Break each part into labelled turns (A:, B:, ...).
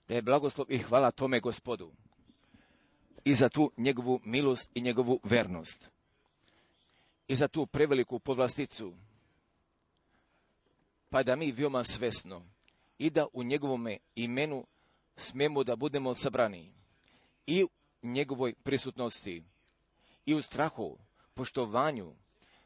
A: da je blagoslov i hvala tome Gospodu i za tu njegovu milost i njegovu vernost i za tu preveliku povlasticu, pa da mi veoma svesno i da u njegovome imenu smemo da budemo sabrani i u njegovoj prisutnosti i u strahu, poštovanju,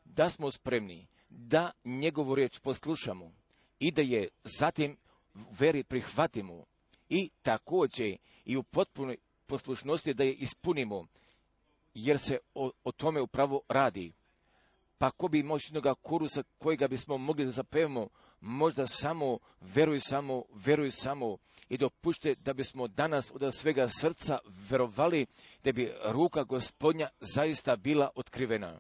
A: da smo spremni da njegovu riječ poslušamo i da je zatim u veri prihvatimo i također i u potpunoj poslušnosti da je ispunimo, jer se o tome upravo radi. Pa ko bi moćnoga kurusa kojega bismo mogli da zapevamo, možda samo veruj samo i dopušte da bismo danas od svega srca verovali da bi ruka Gospodnja zaista bila otkrivena.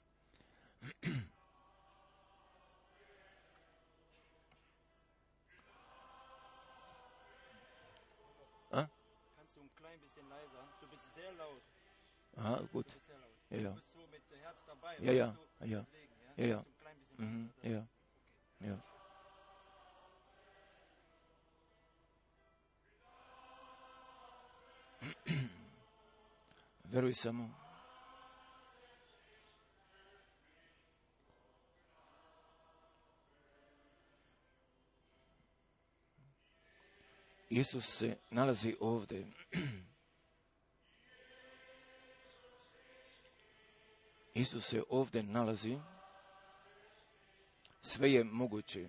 B: Kannst du ein klein bisschen leiser? Du bist sehr laut.
A: Aha, gut.
B: Du bist sehr laut.
A: Ja, ja.
B: Du bist so mit Herz dabei.
A: Ja, ja,
B: weißt du?
A: ja.
B: Deswegen,
A: Ja, ja.
B: Kannst du ein klein bisschen leiser.
A: Ja, ja. Veruj samo. Isus se nalazi ovdje. Isus se ovdje nalazi. Sve je moguće.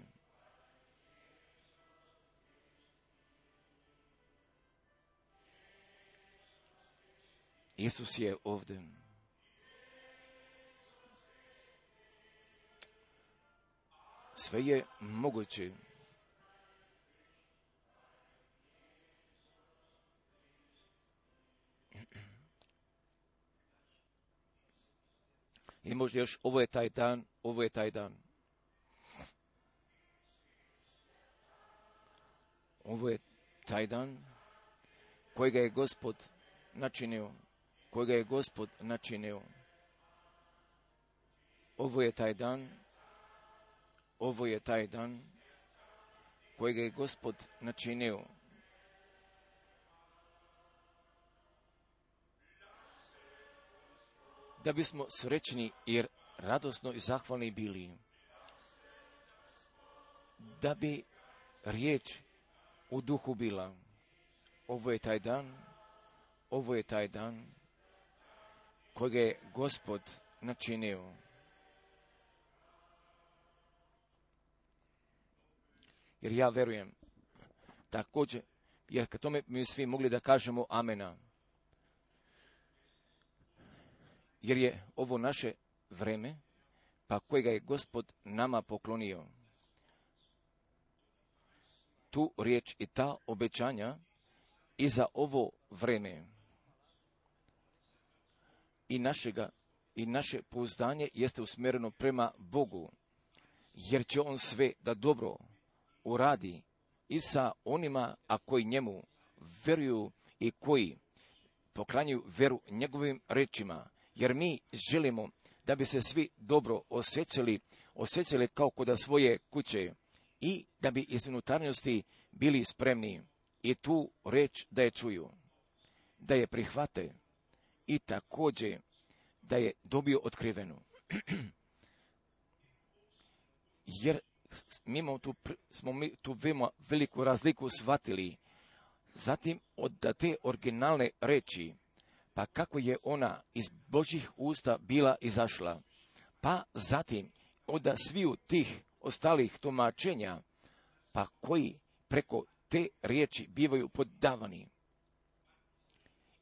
A: Isus je ovdje. Sve je moguće. I možda još, ovo je taj dan. Ovo je taj dan kojega je Gospod načinio. Ovo je taj dan kojega je Gospod načinio. Da bismo srećni i radosno i zahvalni bili. Da bi riječ u duhu bila. Ovo je taj dan kojega je Gospod načinio. Jer ja verujem također, jer kad tome mi svi mogli da kažemo amena. Jer je ovo naše vreme, pa kojega je Gospod nama poklonio. Tu riječ i ta obećanja i za ovo vreme. I naše pouzdanje jeste usmjereno prema Bogu, jer će On sve da dobro uradi i sa onima, a koji njemu veruju i koji poklanjaju veru njegovim rečima. Jer mi želimo da bi se svi dobro osjećali kao kod svoje kuće i da bi iz unutarnjosti bili spremni i tu reč da je čuju, da je prihvate i također da je dobio otkrivenu. Jer smo mi tu veliku razliku shvatili. Zatim od te originalne reči, pa kako je ona iz Božjih usta bila izašla, pa zatim od sviju tih ostalih tumačenja, pa koji preko te riječi bivaju poddavani.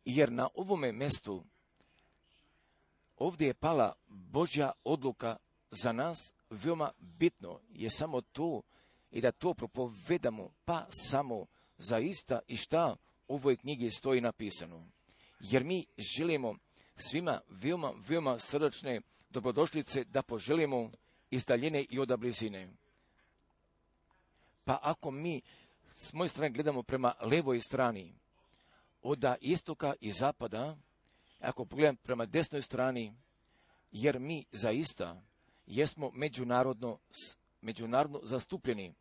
A: Jer na ovome mjestu ovdje je pala Božja odluka za nas, veoma bitno je samo to i da to propovedamo, pa samo zaista i šta u ovoj knjigi stoji napisano. Jer mi želimo svima veoma srdačne dobrodošlice da poželimo iz daljine i od blizine. Pa ako mi s moje strane gledamo prema levoj strani, od istoka i zapada, ako pogledam prema desnoj strani, jer mi zaista jesmo međunarodno zastupljeni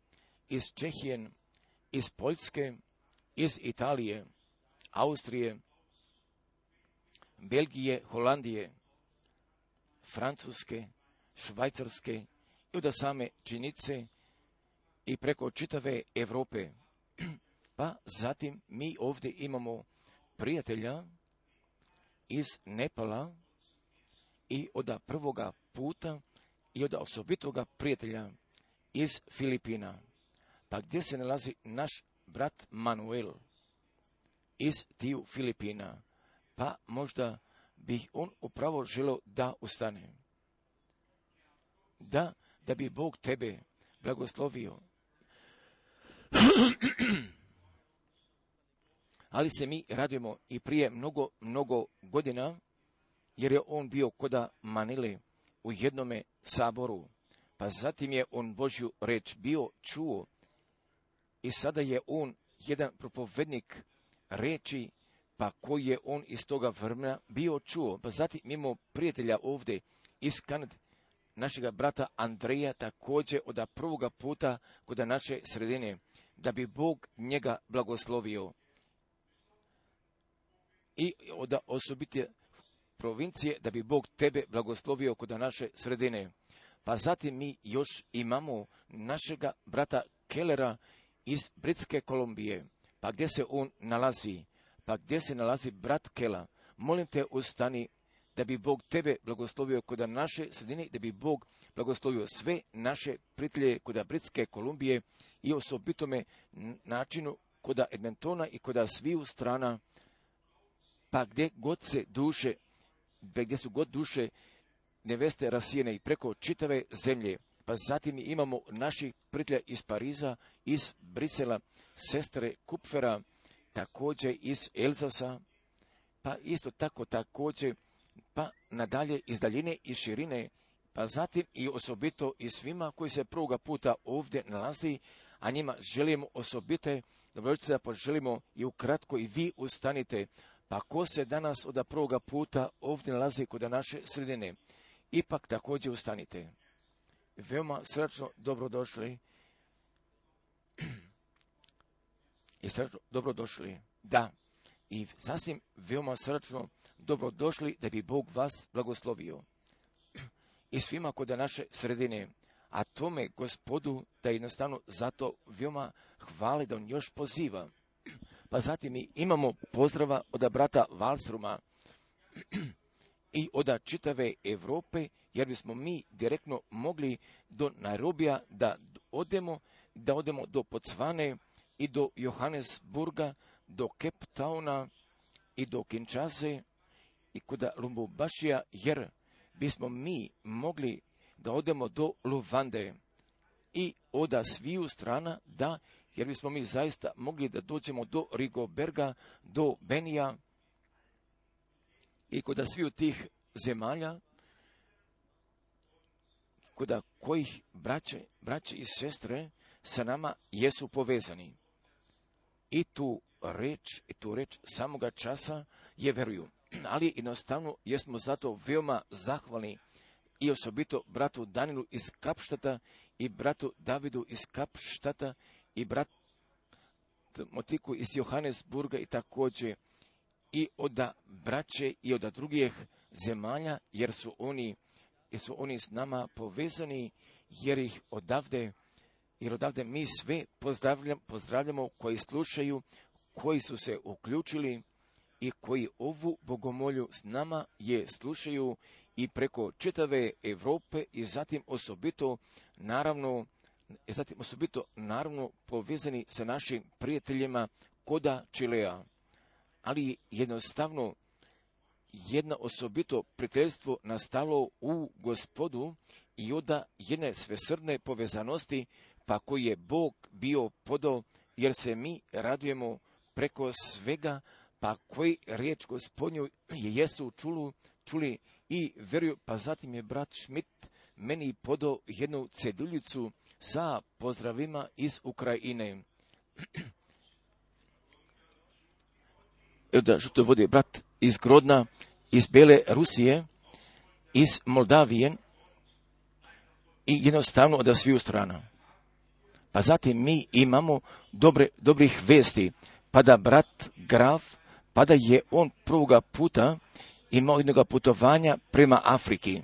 A: iz Čehije, iz Poljske, iz Italije, Austrije, Belgije, Holandije, Francuske, Švajcarske i od same činice i preko čitave Europe. Pa zatim mi ovdje imamo prijatelja iz Nepala i od prvoga puta i od osobitoga prijatelja iz Filipina. Pa gdje se nalazi naš brat Manuel iz tiju Filipina? Pa možda bih on upravo želio da ustane. Da bi Bog tebe blagoslovio. Ali se mi radujemo i prije mnogo godina, jer je on bio koda Manile u jednome saboru. Pa zatim je on Božju reč bio čuo i sada je on jedan propovednik reči, pa koji je on iz toga vremena bio čuo. Pa zatim imamo prijatelja ovdje iz Kanade, našega brata Andreja, također od prvoga puta kod naše sredine, da bi Bog njega blagoslovio. I od osobite provincije, da bi Bog tebe blagoslovio kod naše sredine. Pa zatim mi još imamo našega brata Kellera iz Britske Kolumbije. Pa gdje se on nalazi? Pa gdje se nalazi brat Kela? Molim te, ustani, da bi Bog tebe blagoslovio kod naše sredine, da bi Bog blagoslovio sve naše prijatelje kod Britske Kolumbije i osobitome načinu kod Edmontona i kod sviju strana. Pa gdje su god duše neveste rasijene i preko čitave zemlje. Pa zatim imamo naših prijatelja iz Pariza, iz Brisela, sestre Kupfera, također iz Elzasa, pa isto tako također, pa nadalje iz daljine i širine, pa zatim i osobito i svima koji se prvoga puta ovdje nalazi, a njima želimo osobite, dobrodošlice da poželimo i ukratko i vi ustanite. Pa ko se danas od prvoga puta ovdje nalazi kod naše sredine, ipak također ustanite. Veoma srdačno dobrodošli. I srdačno dobrodošli. Da, i sasvim veoma srdačno dobrodošli da bi Bog vas blagoslovio. I svima kod naše sredine. A tome Gospodu da jednostavno zato veoma hvali da on još poziva. Pa zatim mi imamo pozdrava od brata Valstruma i od čitave Europe, jer bismo mi direktno mogli do Nairobija da odemo do Botswane i do Johannesburga, do Cape Towna i do Kinshase i kod Lumbumbashija, jer bismo mi mogli da odemo do Luande i od sviju strana, da, jer bismo mi zaista mogli da dođemo do Rigoberga, do Benija i kod sviju tih zemalja, kod kojih braće i sestre sa nama jesu povezani. I tu reč samoga časa je veruju. Ali jednostavno jesmo zato veoma zahvalni i osobito bratu Danilu iz Kapštata i bratu Davidu iz Kapštata i bratu Motiku iz Johannesburga i također i od braće i od drugih zemalja, jer su oni s nama povezani, jer odavde mi sve pozdravljamo koji slušaju, koji su se uključili i koji ovu bogomolju s nama je slušaju i preko čitave Europe i zatim osobito naravno povezani sa našim prijateljima koda Čilea. Ali jednostavno jedno osobito prijateljstvo nastalo u Gospodu i od jedne svesrdne povezanosti, pa koji je Bog bio podao, jer se mi radujemo preko svega, pa koji riječ Gospodnju jesu čuli i veruju. Pa zatim je brat Schmidt meni podao jednu ceduljicu sa pozdravima iz Ukrajine. Da što vodi brat iz Grodna, iz Bele Rusije, iz Moldavije i jednostavno od sviju strana. Pa zatim mi imamo dobrih vesti. pa da brat Graf, pa da je on prvoga puta imao jednog putovanja prema Afriki.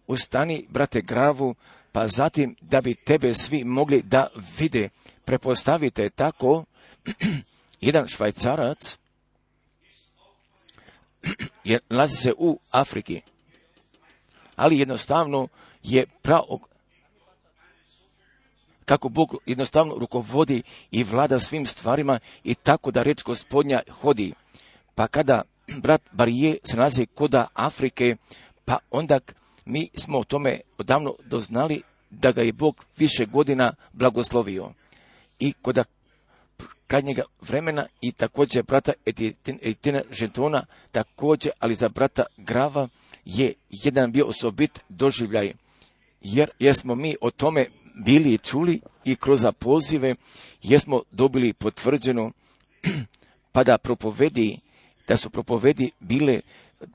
A: Ustani, brate Gravu, pa zatim da bi tebe svi mogli da vide. Prepostavite tako, jedan Švajcarac nalazi se u Afriki, ali jednostavno je kako Bog jednostavno rukovodi i vlada svim stvarima i tako da reč Gospodnja hodi. Pa kada brat Barije se nalazi kod Afrike, pa onda mi smo o tome odavno doznali da ga je Bog više godina blagoslovio. I kod krajnjega vremena i također brata Etienne Gentona, također, ali za brata Grava je jedan bio osobit doživljaj, jer smo mi o tome bili i čuli i kroz pozive, jer smo dobili potvrđeno, pa da su propovedi bile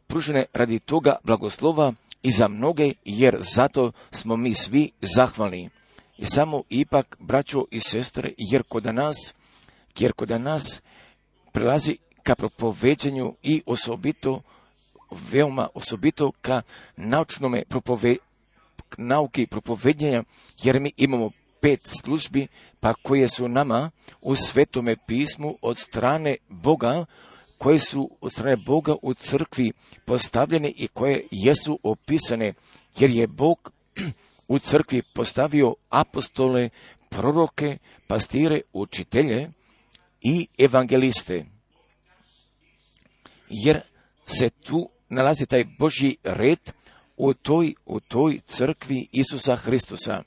A: pružene radi toga blagoslova i za mnoge, jer zato smo mi svi zahvalni. I samo ipak, braćo i sestre, jer kod nas prelazi ka propoveđenju i veoma osobito ka naučnome nauki propovedjenja, jer mi imamo 5 službi, pa koje su nama u Svetome pismu od strane Boga, koje su od strane Boga u crkvi postavljene i koje jesu opisane, jer je Bog u crkvi postavio apostole, proroke, pastire, učitelje i evangeliste. Jer se tu nalazi taj Božji red u toj crkvi Isusa Hristusa.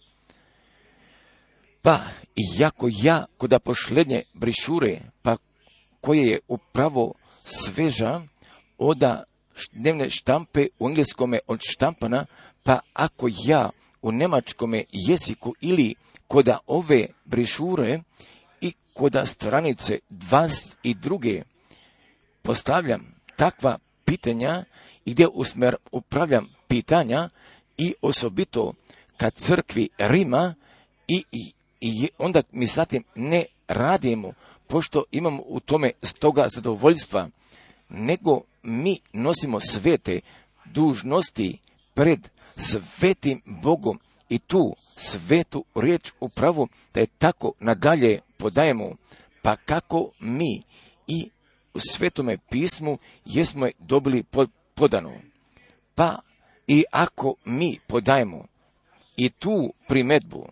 A: Pa, iako ja kod pošlednje brišure, pa koje je upravo sveža od dnevne štampe u engleskome od štampana, pa ako ja u njemačkome jeziku ili kod ove brišure i kod stranice 22 postavljam takva pitanja i gdje upravljam pitanja i osobito kad crkvi Rima i onda mi zatim ne radimo, pošto imamo u tome stoga zadovoljstva, nego mi nosimo svete dužnosti pred svetim Bogom i tu svetu riječ upravo da je tako nadalje podajemo, pa kako mi i u Svetome pismu jesmo je dobili podano. Pa i ako mi podajemo i tu primedbu,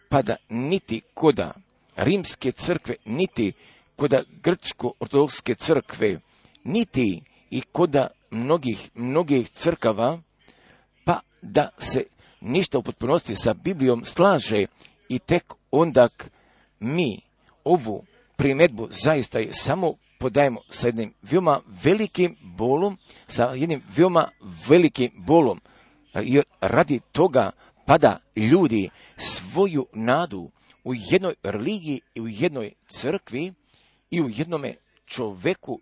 A: pa da niti koda rimske crkve, niti koda grčko-ortodokske crkve, niti i koda mnogih crkava, pa da se ništa u potpunosti sa Biblijom slaže i tek onda mi ovu primedbu zaista je samo podajemo sa jednim veoma velikim bolom, jer radi toga pada ljudi svoju nadu u jednoj religiji i u jednoj crkvi i u jednome čoveku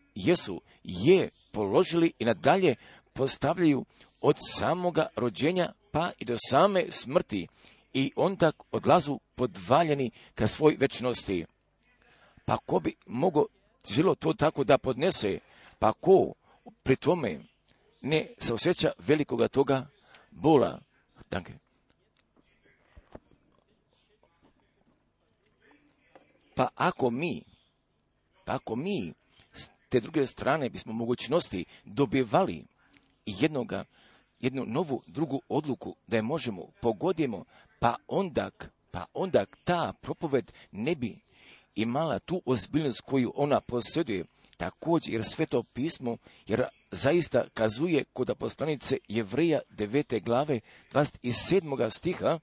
A: je položili i nadalje postavljaju od samoga rođenja pa i do same smrti i onda odlazu podvaljeni ka svoj večnosti. Pa ko bi mogao želo to tako da podnese, pa ko pri tome ne se osjeća velikoga toga bola. Danke. Pa ako mi s te druge strane bismo mogućnosti dobivali jednu novu drugu odluku da je možemo pogodimo, pa onda ta propoved ne bi imala tu ozbiljnost koju ona posjeduje. Također jer Sveto pismo jer zaista kazuje kod poslanice Jevreja 9. glave 27. stiha,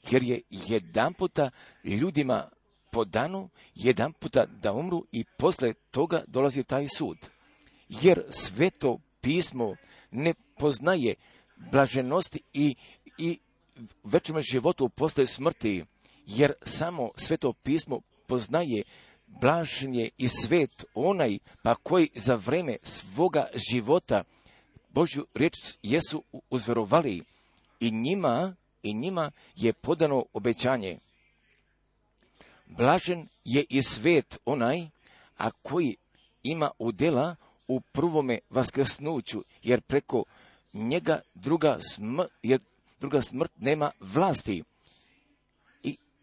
A: jer je jedan puta ljudima podano, jedan puta da umru i posle toga dolazi taj sud. Jer Sveto pismo ne poznaje blaženosti i večnome životu posle smrti, jer samo Sveto pismo poznaje blaženje i svet onaj pa koji za vreme svoga života Božju riječ jesu uzverovali i njima je podano obećanje. Blažen je i svet onaj, a koji ima udjela u prvome vaskrsnuću, jer preko njega druga smrt nema vlasti.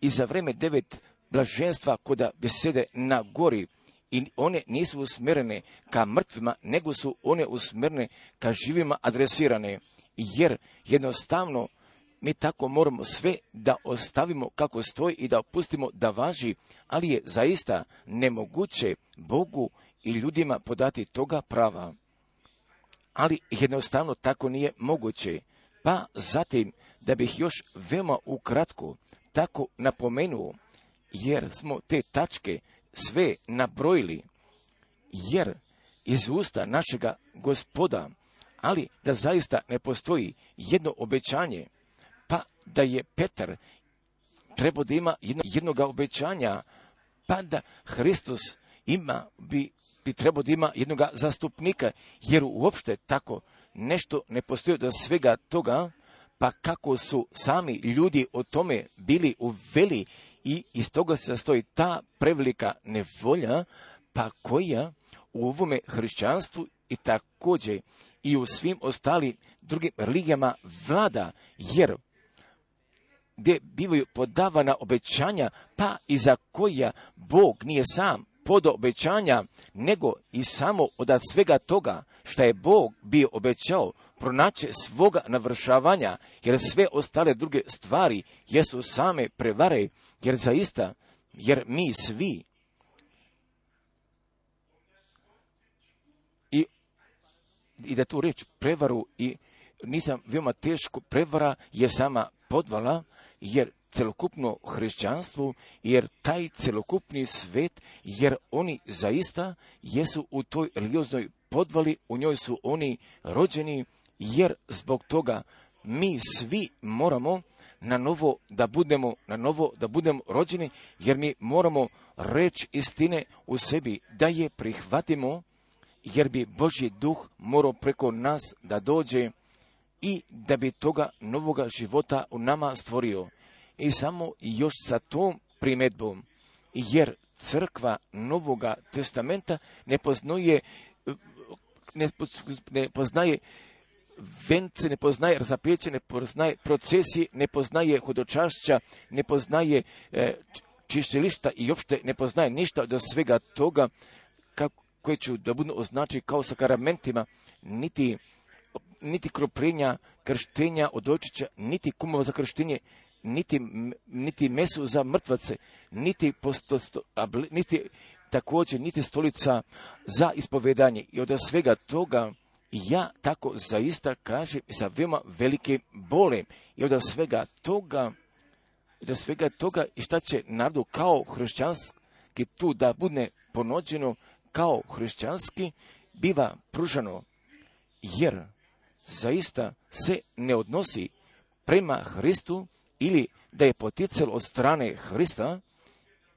A: I za vreme 9 blaženstva koda besede na gori, i one nisu usmjerene ka mrtvima, nego su one usmjerene ka živima adresirane, jer jednostavno mi tako moramo sve da ostavimo kako stoji i da pustimo da važi, ali je zaista nemoguće Bogu i ljudima podati toga prava. Ali jednostavno tako nije moguće. Pa zatim, da bih još veoma ukratko tako napomenuo, jer smo te tačke sve nabrojili, jer iz usta našega Gospoda, ali da zaista ne postoji jedno obećanje, pa da je Petar trebao da ima jednoga obećanja, pa da Hristos bi trebao da ima jednoga zastupnika, jer uopšte tako nešto ne postoji do svega toga, pa kako su sami ljudi o tome bili uveli i iz toga se sastoji ta prevelika nevolja, pa koja u ovome hrišćanstvu i također i u svim ostalim drugim religijama vlada, jer gdje bivaju podavana obećanja, pa i za koja Bog nije sam podao obećanja, nego i samo od svega toga što je Bog bio obećao, pronaće svoga navršavanja, jer sve ostale druge stvari jesu same prevare, jer zaista, jer mi svi i da tu reč prevaru i nisam veoma teško, prevara je sama podvala, jer celokupno hrišćanstvo, jer taj celokupni svet, jer oni zaista jesu u toj religioznoj podvali, u njoj su oni rođeni, jer zbog toga mi svi moramo na novo da budemo rođeni, jer mi moramo reč istine u sebi, da je prihvatimo, jer bi Božji duh morao preko nas da dođe i da bi toga novoga života u nama stvorio. I samo još sa tom primjedbom, jer crkva Novoga testamenta ne poznaje vence, ne poznaje razapeće, ne poznaje procesije, ne poznaje hodočašća, ne poznaje čišćilišta i uopšte ne poznaje ništa od svega toga koje ću da budu označi kao sakramentima, niti kropljenja, krštenja od očića, niti kumova za krštenje, niti mesu za mrtvace, niti također niti stolica za ispovedanje. I od svega toga ja tako zaista kažem sa veoma velike bole. I od svega toga i šta će narodu kao hrišćanski tu da bude ponuđeno, kao hrišćanski biva pružano, jer zaista se ne odnosi prema Hristu ili da je poticalo od strane Hrista,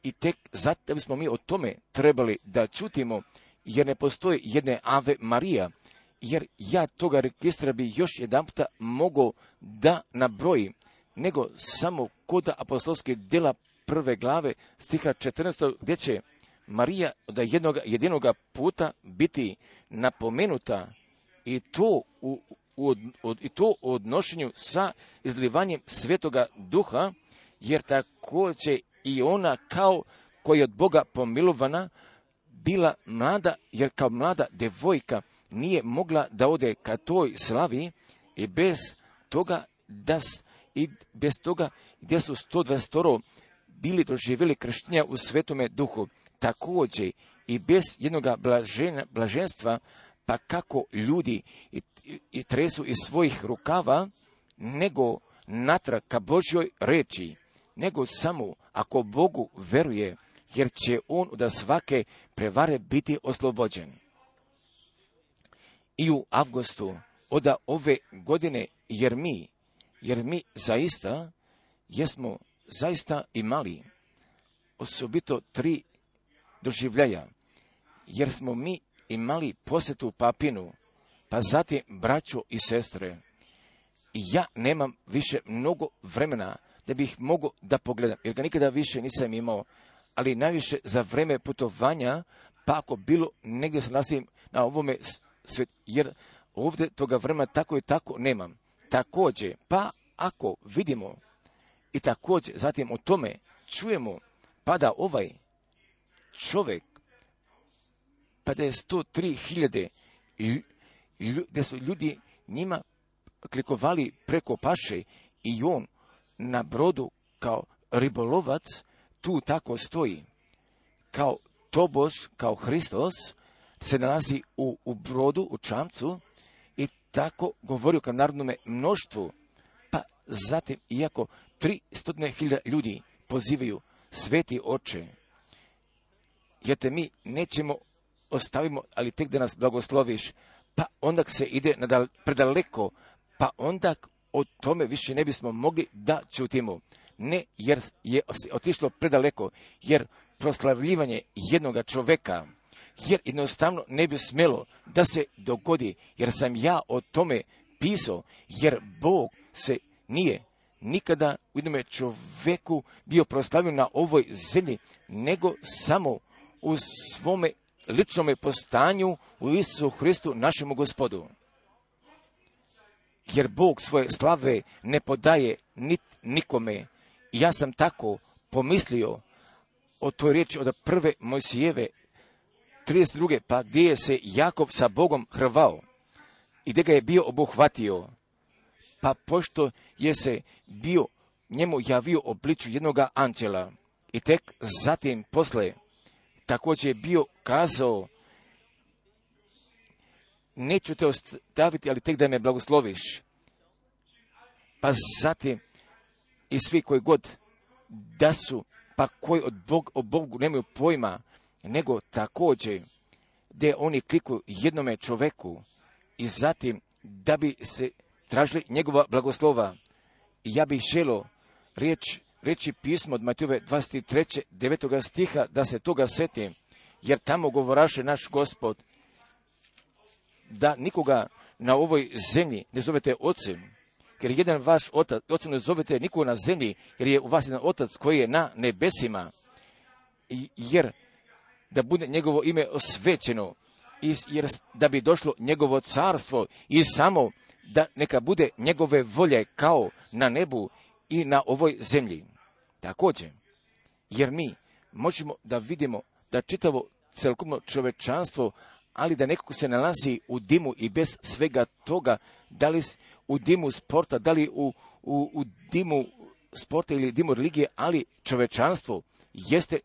A: i tek zato bismo mi o tome trebali da čutimo, jer ne postoji jedne Ave Marija, jer ja toga registra bi još jedanputa mogao da nabrojim, nego samo kod apostolske djela 1. glave stiha 14. gdje će Marija od jedinoga puta biti napomenuta, i to u odnošenju sa izlivanjem Svetoga Duha, jer također i ona kao koja je od Boga pomilovana bila mlada, jer kao mlada devojka nije mogla da ode ka toj slavi, i bez toga gdje su 120 bili doživjeli krštenja u Svetome Duhu, također i bez jednoga blaženstva, pa kako ljudi i tresu iz svojih rukava, nego natrag ka Božjoj reči, nego samo ako Bogu veruje, jer će on od svake prevare biti oslobođen. I u avgustu od ove godine, jer mi zaista jesmo zaista imali osobito 3 doživljaja, jer smo mi imali posjetu Papinu, pa zatim braćo i sestre. I ja nemam više mnogo vremena da bih mogao da pogledam, jer ga nikada više nisam imao, ali najviše za vreme putovanja, pa ako bilo negdje se nalazim na ovome svijetu, jer ovdje toga vremena tako i tako nemam. Također, pa ako vidimo i također zatim o tome čujemo, pa da ovaj čovjek, pa da je 103.000, gdje su ljudi njima klikovali preko paše i on na brodu kao ribolovac tu tako stoji. Kao tobož, kao Hristos se nalazi u brodu, u čamcu i tako govorio kao narodnome mnoštvu. Pa zatim, iako 300.000 ljudi pozivaju, sveti oče, jer te mi nećemo ostavimo, ali tek da nas blagosloviš, pa onda se ide predaleko, pa onda o tome više ne bismo mogli da čutimo. Ne, jer je otišlo predaleko, jer proslavljivanje jednoga čoveka, jer jednostavno ne bi smjelo da se dogodi, jer sam ja o tome pisao, jer Bog se nije nikada u jednome čoveku bio proslavio na ovoj zemlji, nego samo u svome ličnome postanju u Isusu Hristu, našemu Gospodu. Jer Bog svoje slave ne podaje nikome. Ja sam tako pomislio o toj riječi od prve Mojsijeve 32. pa gdje je se Jakov sa Bogom hrvao i gdje ga je bio obuhvatio. Pa pošto je se bio njemu javio obliču jednoga anđela i tek zatim posle također je bio kazao, neću te ostaviti, ali tek da me blagosloviš. Pa zatim i svi koji god da su, pa koji o Bogu nemaju pojma, nego također gdje oni klikuju jednome čoveku i zatim da bi se tražili njegova blagoslova. I ja bih želio reći pismo od Matejove 23. 9. stiha da se toga setim, jer tamo govoraše naš Gospod da nikoga na ovoj zemlji ne zovete ocem, jer jedan vaš otac ne zovete nikoga na zemlji, jer je u vas jedan otac koji je na nebesima, jer da bude njegovo ime osvećeno, jer da bi došlo njegovo carstvo i samo da neka bude njegove volje kao na nebu i na ovoj zemlji. Također, jer mi možemo da vidimo da čitavo celokupno čovečanstvo, ali da nekako se nalazi u dimu i bez svega toga, da li u dimu sporta, da li u dimu sporta ili dimu religije, ali čovečanstvo jeste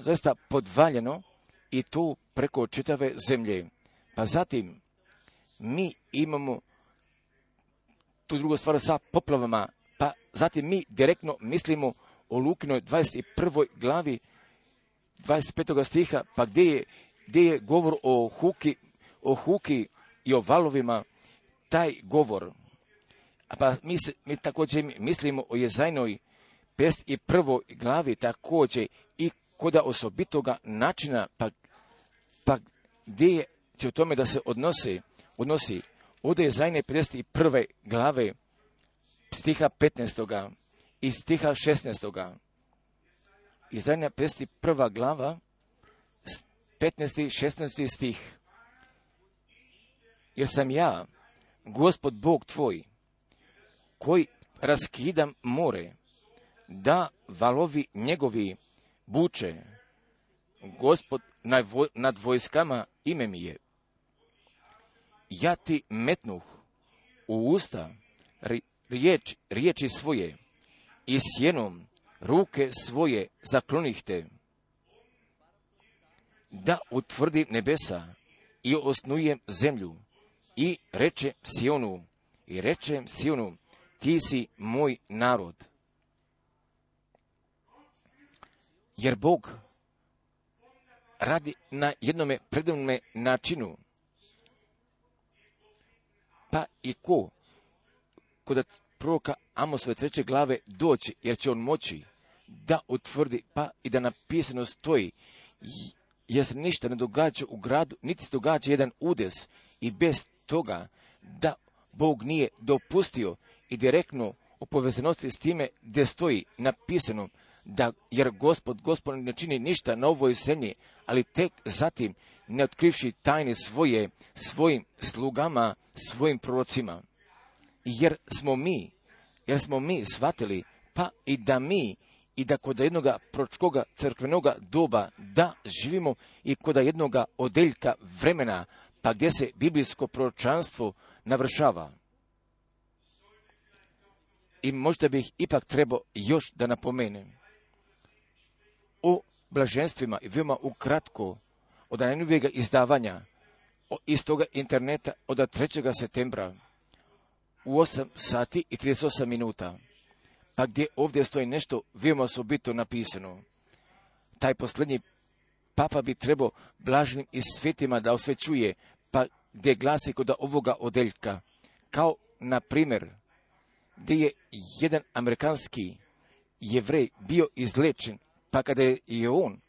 A: zaista podvaljeno i to preko čitave zemlje. Pa zatim, mi imamo tu drugu stvar sa poplavama, pa zatim mi direktno mislimo o Lukinoj 21. glavi 25. stiha, pa gdje je govor o huki i o valovima, taj govor. Pa mi također mislimo o Jezajnoj 51. glavi također i kod osobitoga načina, pa gdje će o tome da se odnosi ovdje je Jezajne 51. glave stiha 15. i stiha 16. Jezajna 51. glava 15. i 16. stih. Jer sam ja, Gospod Bog tvoj, koji raskidam more, da valovi njegovi buče. Gospod nad vojskama ime mi je. Ja ti metnuh u usta riječi svoje i sjenom ruke svoje zaklonih te, da utvrdim nebesa i osnujem zemlju i rečem Sionu, ti si moj narod. Jer Bog radi na jednome predivnome načinu. Pa i kod proroka Amosove 3. glave doći, jer će on moći da utvrdi, pa i da napisano stoji, jer se ništa ne događa u gradu, niti se događa jedan udes i bez toga da Bog nije dopustio i direktno u povezanosti s time gdje stoji napisano jer Gospod ne čini ništa na ovoj zemlji, ali tek zatim ne otkrivši tajne svoje, svojim slugama, svojim prorocima. Jer smo mi shvatili, pa i da kod jednoga proročkoga crkvenoga doba da živimo i kod jednoga odeljka vremena, pa gdje se biblijsko proročanstvo navršava. I možda bih ipak trebao još da napomenem o blaženstvima i veoma ukratko od najnovijega izdavanja iz toga interneta od 3. septembra u 8 sati i 38 minuta. Pa gdje ovdje stoji nešto veoma osobito napisano. Taj posljednji papa bi trebao blaženim i svetima da osvećuje, pa gdje glasi kod ovoga odeljka, kao na primjer gdje je jedan amerikanski Jevrej bio izlečen, pa kada je on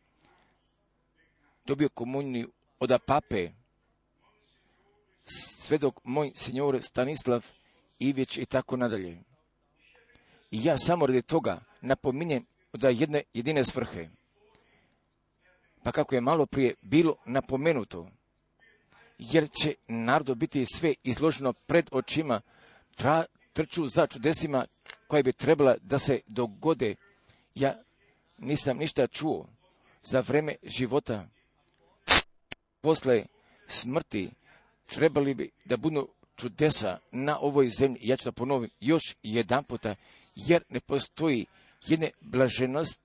A: dobio komuniju od pape, svedok moj signore Stanislav Ivić i tako nadalje. I ja samo radi toga napominjem da jedne jedine svrhe. Pa kako je malo prije bilo napomenuto, jer će narodu biti sve izloženo pred očima, trču za čudesima koje bi trebala da se dogode. Ja nisam ništa čuo za vreme života. Posle smrti trebali bi da budu čudesa na ovoj zemlji. Ja ću da ponovim još jedan puta, jer ne postoji jedne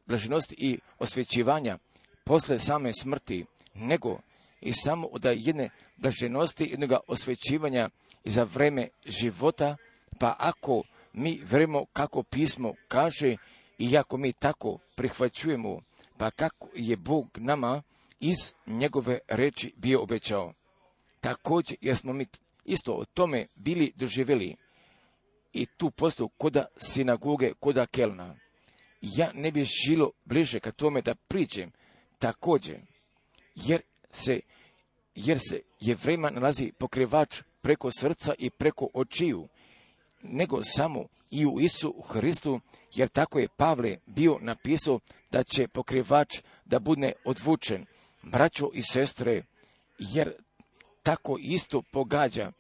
A: blaženosti i osvećivanja posle same smrti, nego i samo od jedne blaženosti, jednog osvećivanja i za vreme života. Pa ako mi verujemo kako pismo kaže i ako mi tako prihvaćujemo, pa kako je Bog nama iz njegove reči bio obećao. Također, jer smo mi isto o tome bili doživjeli i tu postoju koda sinagoge, koda Kelna. Ja ne bih žilo bliže ka tome da priđem također, jer se Jevrejima nalazi pokrivač preko srca i preko očiju, nego samo i u Isu Hristu, jer tako je Pavle bio napisao da će pokrivač da bude odvučen. Braćo i sestre, jer tako isto pogađa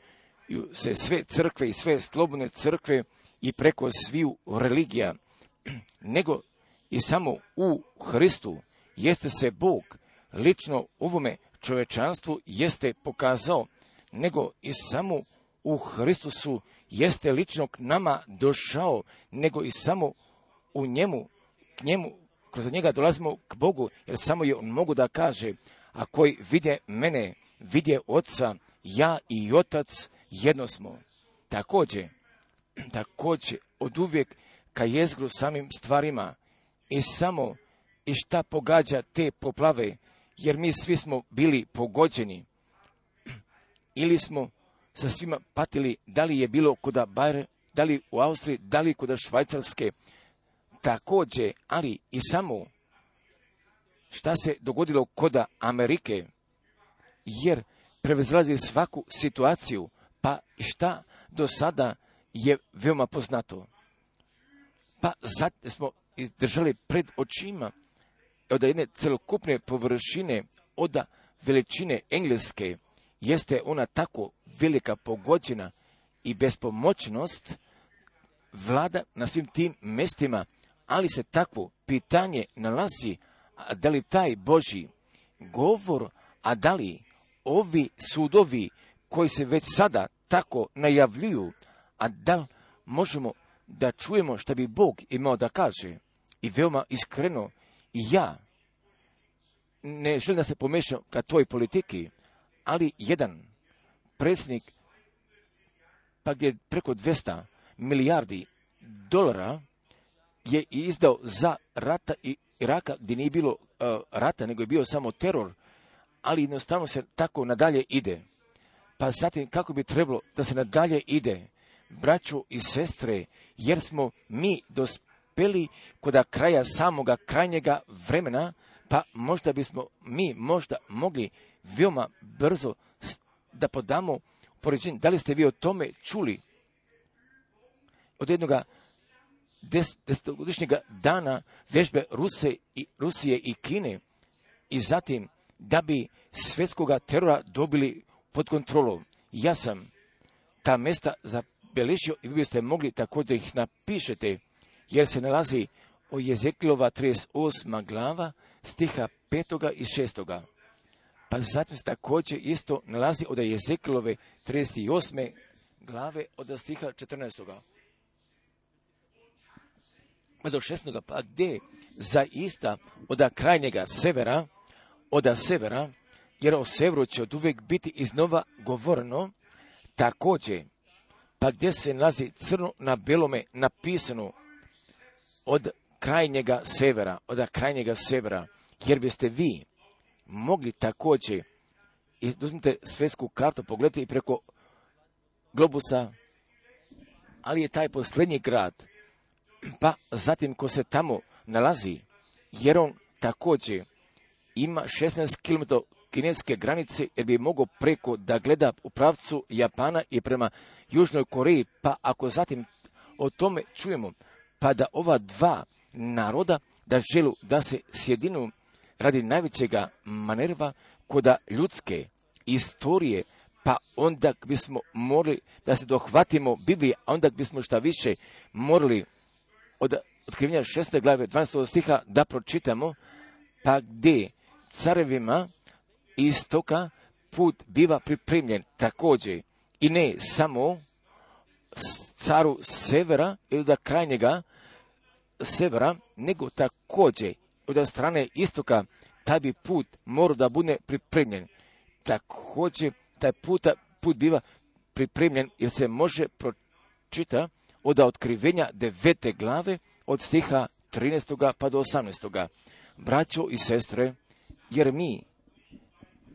A: se sve crkve i sve slobodne crkve i preko sviju religija, nego i samo u Hristu jeste se Bog lično ovome čovečanstvu jeste pokazao, nego i samo u Hristusu jeste lično k nama došao, nego i samo u njemu, k njemu, kroz njega dolazimo k Bogu, jer samo je on mogu da kaže, a koji vide mene, vide Oca, ja i Otac jedno smo. Također, od uvijek ka jezgru samim stvarima i samo i šta pogađa te poplave, jer mi svi smo bili pogođeni, ili smo sa svima patili, da li je bilo koda Bajre, da li u Austriji, da li koda Švajcarske, također, ali i samo šta se dogodilo koda Amerike, jer prevezlazi svaku situaciju, pa šta do sada je veoma poznato. Pa zatim smo držali pred očima od jedne celokupne površine, od veličine Engleske, jeste ona tako velika pogođena i bespomoćnost vlada na svim tim mestima, ali se takvo pitanje nalazi, a da li taj Božji govor, a da li ovi sudovi koji se već sada tako najavljuju, a da li možemo da čujemo šta bi Bog imao da kaže. I veoma iskreno, ja ne želim da se pomešam ka toj politiki, ali jedan predsjednik, pa gdje preko 200 milijardi dolara je izdao za rata i Iraka, gdje nije bilo rata, nego je bio samo teror, ali jednostavno se tako nadalje ide. Pa zatim kako bi trebalo da se nadalje ide, braćo i sestre, jer smo mi dospeli kod kraja samoga krajnjega vremena, pa možda bismo mi možda mogli veoma brzo da podamo poređenje. Da li ste vi o tome čuli od jednoga desetogodišnjeg dana vežbe Rusije i Kine i zatim da bi svjetskoga terora dobili pod kontrolu. Ja sam ta mjesta zabeležio i vi biste mogli također ih napišete, jer se nalazi o Jezekilova 38. glava, stiha 5. i 6. Pa zatim se također isto nalazi od Jezekilove 38. glave od stiha 14. Pa do 16. pa gdje zaista od krajnjega severa, jer o severu će od uvijek biti iznova govoreno, također, pa gdje se nalazi crno na belome napisano od krajnjega severa, jer biste vi mogli također, i uzmite svjetsku kartu, pogledajte i preko globusa, ali je taj posljednji grad, pa zatim ko se tamo nalazi, jer on također ima 16 km kineske granice, jer bi mogao preko da gleda u pravcu Japana i prema Južnoj Koreji, pa ako zatim o tome čujemo, pa da ova dva naroda da želu da se sjedinu radi najvećega manerva koda ljudske istorije, pa onda bismo morali da se dohvatimo Biblije, a onda bismo šta više morali od otkrivenja 6. glave 12. stiha da pročitamo, pa gdje carevima istoka put biva pripremljen također, i ne samo caru severa ili da krajnjega severa, nego također od strane istoka taj bi put mora da bude pripremljen. Također taj put biva pripremljen jer se može pročita od otkrivenja 9. glave od stiha 13. pa do 18. Braćo i sestre, jer mi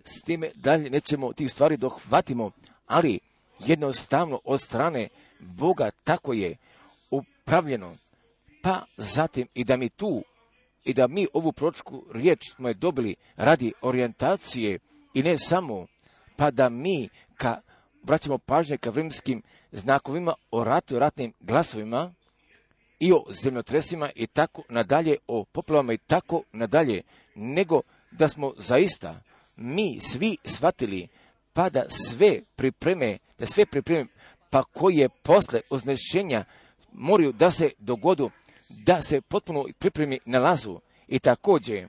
A: s time dalje nećemo tih stvari dohvatimo, ali jednostavno od strane Boga tako je upravljeno. Pa zatim i da mi ovu proročku riječ smo je dobili radi orijentacije i ne samo, pa da mi vraćamo pažnje ka vremenskim znakovima o ratu i ratnim glasovima i o zemljotresima i tako nadalje, o poplavama i tako nadalje, nego da smo zaista mi svi shvatili, pa da sve pripreme, pa koji je posle oznešenja moraju da se dogodu, da se potpuno pripremi nalazu. I također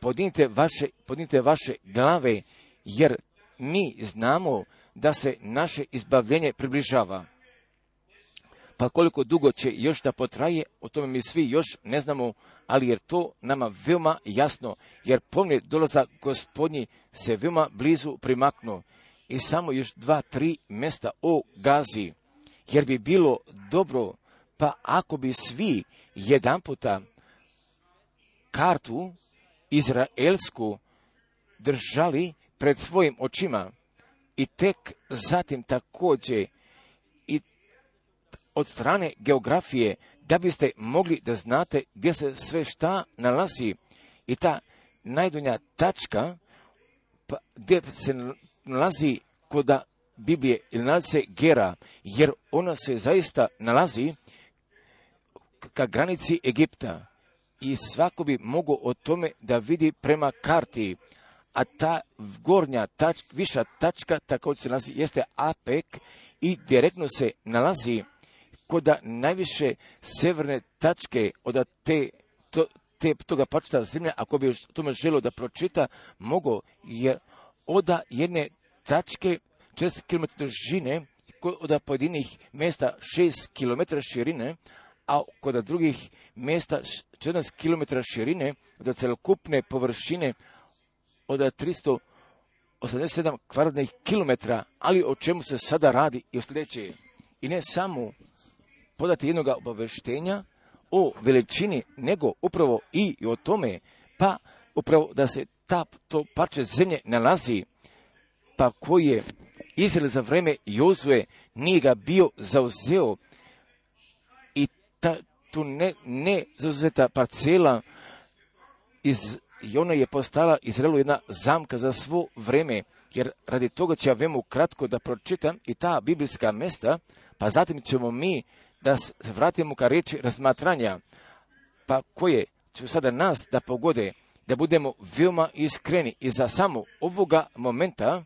A: podinite vaše glave, jer mi znamo da se naše izbavljenje približava. Pa koliko dugo će još da potraje, o tome mi svi još ne znamo, ali jer to nama veoma jasno, jer ponovni dolazak Gospodnji se veoma blizu primaknu. I samo još 2-3 mjesta o Gazi, jer bi bilo dobro, pa ako bi svi jedanputa kartu izraelsku držali pred svojim očima i tek zatim također i od strane geografije, da biste mogli da znate gdje se sve šta nalazi i ta najdonja tačka pa, gdje se nalazi koda Biblije ili nalazi se Gera, jer ona se zaista nalazi ka granici Egipta i svako bi mogao o tome da vidi prema karti, a ta gornja tačka, viša tačka također se nalazi, jeste Apek i direktno se nalazi koda najviše severne tačke od toga pačeta zemlje, ako bi o tome želio da pročita, mogo, jer od jedne tačke 4 km dužine, od pojedinih mjesta 6 km širine, a kod drugih mjesta 14 km širine, od celokupne površine od 387 kvadratnih kilometra, ali o čemu se sada radi i o sljedeće. I ne samo podati jednog obaveštenja o veličini, nego upravo i o tome, pa upravo da se to parče zemlje nalazi, pa koji je Izrael za vreme Jozue nije ga bio zauzeo i tu ne zauzeta parcela i ona je postala Izraelu jedna zamka za svo vreme, jer radi toga ću ja veoma kratko da pročitam i ta biblijska mjesta, pa zatim ćemo mi da se vratimo ka riječi razmatranja, pa koje će sada nas da pogode, da budemo veoma iskreni i za samo ovoga momenta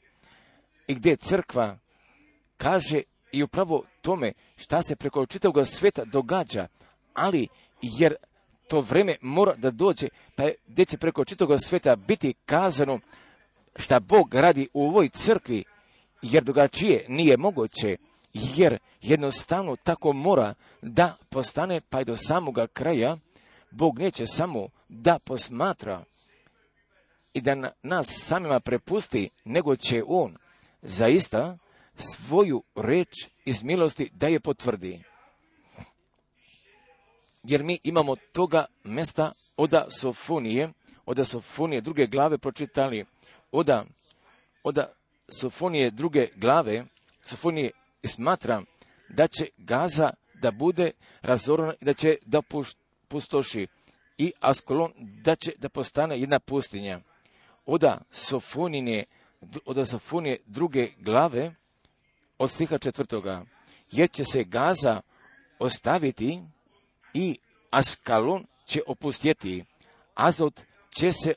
A: i gdje crkva kaže i upravo tome šta se preko čitavog sveta događa, ali jer to vreme mora da dođe, pa gdje će preko čitavog sveta biti kazano šta Bog radi u ovoj crkvi, jer drugačije nije moguće, jer jednostavno tako mora da postane, pa i do samoga kraja. Bog neće samo da posmatra i da nas samima prepusti, nego će On zaista svoju reč iz milosti da je potvrdi. Jer mi imamo toga mesta oda Sofonije druge glave pročitali, oda Sofonije druge glave, Sofonije smatram da će Gaza da bude razorana i da će da pustoši i Askolon da će da postane jedna pustinja. Oda Sofonije druge glave od stiha 4. Jer će se Gaza ostaviti i Askalon će opustjeti. Azot će se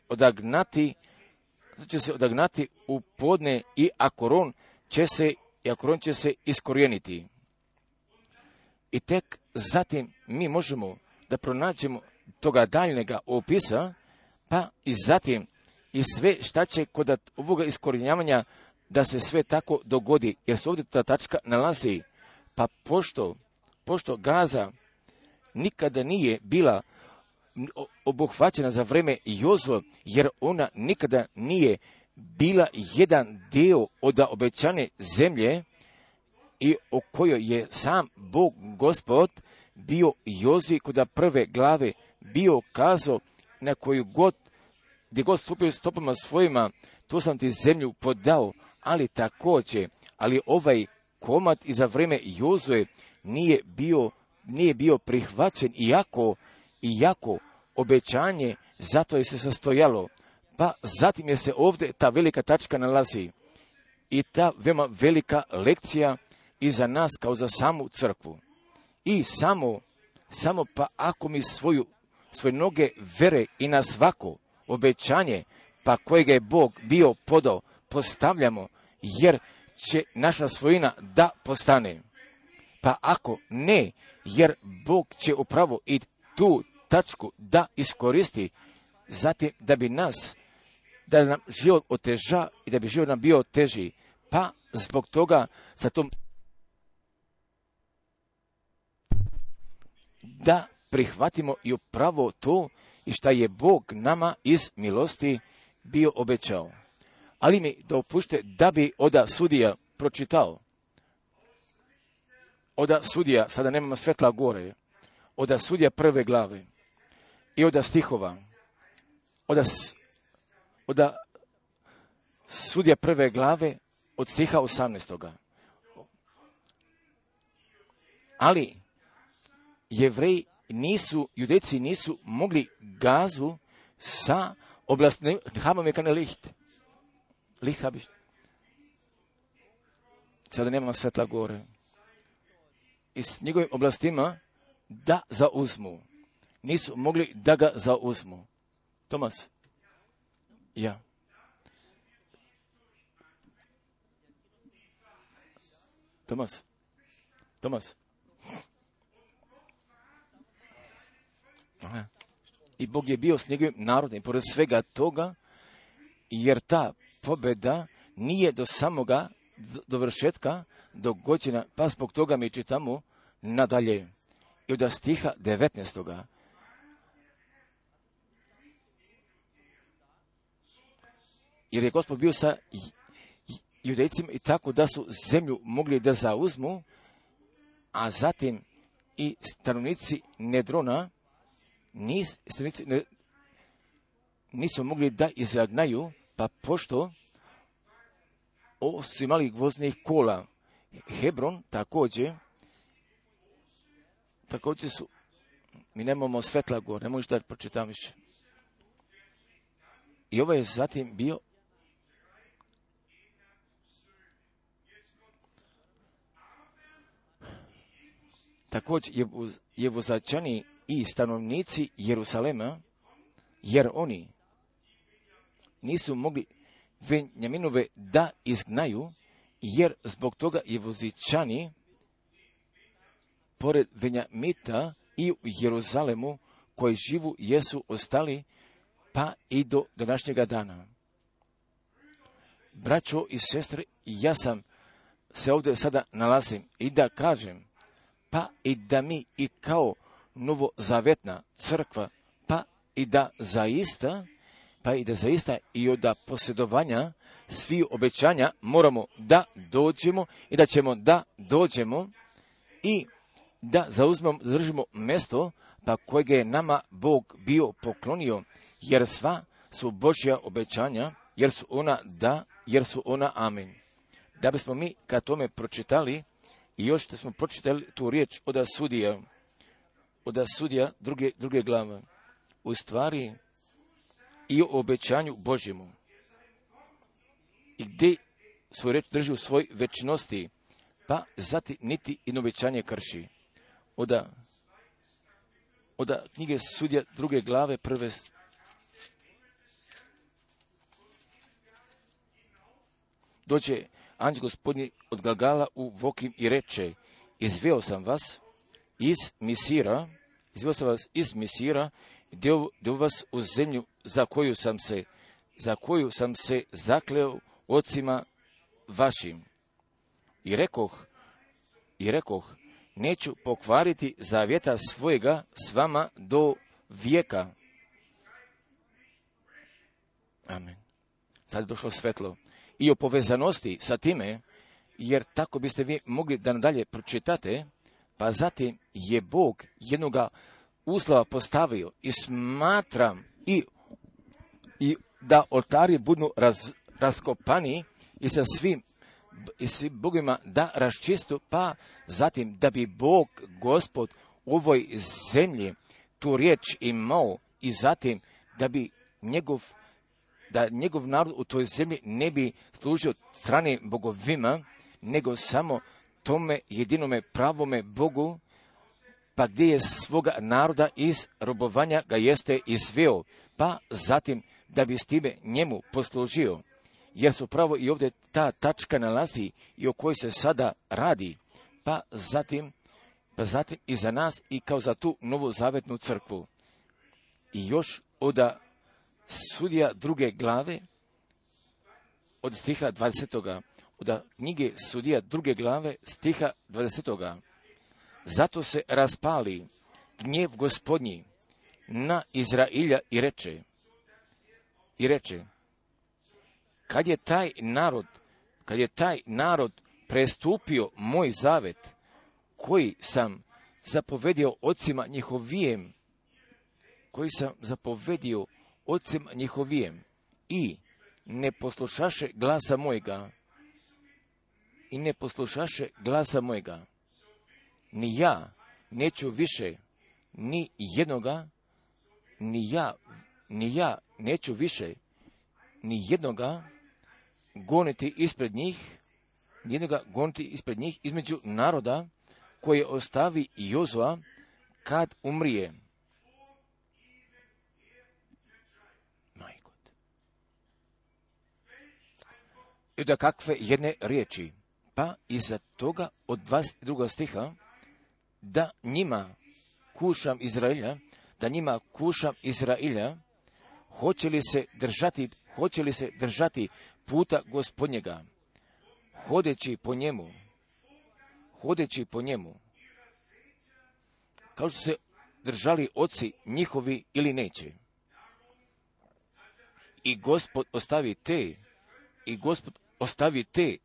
A: odagnati u podne i Akoron će se iskorijeniti. I tek zatim mi možemo da pronađemo toga daljnjega opisa, pa i zatim i sve šta će kod ovoga iskorjenjavanja da se sve tako dogodi, jer se ovdje ta tačka nalazi. Pa pošto Gaza nikada nije bila obuhvaćena za vreme Jozue, jer ona nikada nije bila jedan dio od obećane zemlje i o kojoj je sam Bog Gospod bio Jozue kod prve glave bio kazao na koju god, gdje god stupio stopama svojima, tu sam ti zemlju podao, ali ovaj komad i za vreme Jozue nije bio prihvaćen, iako obećanje zato je se sastojalo. Pa zatim je se ovdje ta velika tačka nalazi i ta veoma velika lekcija i za nas kao za samu crkvu. I samo pa ako mi svoje noge vere i na svako obećanje, pa kojega je Bog bio podao, postavljamo, jer će naša svojina da postane. Pa ako ne, jer Bog će upravo i tu tačku da iskoristi, zatim da nam život oteža i da bi život nam bio teži. Pa zbog toga za to da prihvatimo i upravo to i šta je Bog nama iz milosti bio obećao. Ali mi dopušte da bi oda sudija pročitao. Oda sudija, sada nemamo svetla gore, oda sudija prve glave i oda stihova, oda sudija prve glave od stiha 18. Ali Judejci nisu mogli Gazu sa oblasti, haben wir keine Licht habe ich. Sada nemamo svetla gore. I s njegovim oblastima da zauzmu. Nisu mogli da ga zauzmu. Tomas? Ja. Tomas? Aha. I Bog je bio s njegovim narodom, i pored svega toga, jer ta pobjeda nije do samoga dovršetka dogođena, pa zbog toga mi čitamo nadalje. I od stiha 19. Jer je Gospod bio sa Judejcima i tako da su zemlju mogli da zauzmu, a zatim i stanovnici Nedrona nisu mogli da izagnaju, pa pošto su imali gvozdnih kola. Hebron također su, mi nemamo svetla gore, ne možeš da pročitam više. I ovo je zatim bio također Jevuzačani i stanovnici Jerusalema, jer oni nisu mogli Benjaminove da izgnaju, jer zbog toga Jevuzičani pored Benjamita i u Jeruzalemu koji živu jesu ostali pa i do današnjega dana. Braćo i sestre, ja sam se ovdje sada nalazim i da kažem, pa i da mi i kao novozavetna crkva, pa i da zaista i od posjedovanja svih obećanja moramo da dođemo i da ćemo da dođemo i da zadržimo mjesto pa kojeg je nama Bog bio poklonio, jer sva su Božja obećanja, jer su ona da, jer su ona amen. Da bismo mi kad tome pročitali i još da smo pročitali tu riječ od sudija druge glave, u stvari i o obećanju Božjemu. I gdje svoju reč drži u svoj večnosti, pa zatim niti i obećanje krši. Od knjige sudija druge glave prve dođe anđel gospodnji od Galgala u Vokim i reče, izveo sam vas iz Misira, deo vas u zemlju za koju sam se zakleo ocima vašim. I rekoh, neću pokvariti zavjeta svojega s vama do vijeka. Amen. Sad je došlo svetlo. I o povezanosti sa time, jer tako biste vi mogli da nadalje pročitate, pa zatim je Bog jednoga uslova postavio i smatram i da oltari budu raskopani i sa svim bogovima da raščistu, pa zatim da bi Bog, Gospod, u ovoj zemlji tu riječ imao i zatim da bi njegov narod u toj zemlji ne bi služio stranim bogovima, nego samo tome jedinome pravome Bogu, pa gdje je svoga naroda iz robovanja ga jeste izveo, pa zatim da bi s time njemu poslužio. Jer su pravo i ovdje ta tačka nalazi i o kojoj se sada radi, pa zatim i za nas i kao za tu novozavetnu crkvu. I još od sudija druge glave, od stiha 20. Od knjige sudija druge glave, stiha 20. Zato se raspali gnjev Gospodnji na Izrailja i reče, kad je taj narod prestupio moj zavet, koji sam zapovedio ocima njihovijem, i ne poslušaše glasa mojega, ni ja neću više ni jednoga goniti ispred njih između naroda koje ostavi Jozua kad umrije. I da kakve jedne riječi, pa iza toga od 22. stiha, da njima kušam Izrailja, hoće li se držati puta Gospodnjega, hodeći po njemu, kao što se držali oci njihovi ili neće. I Gospod ostavi te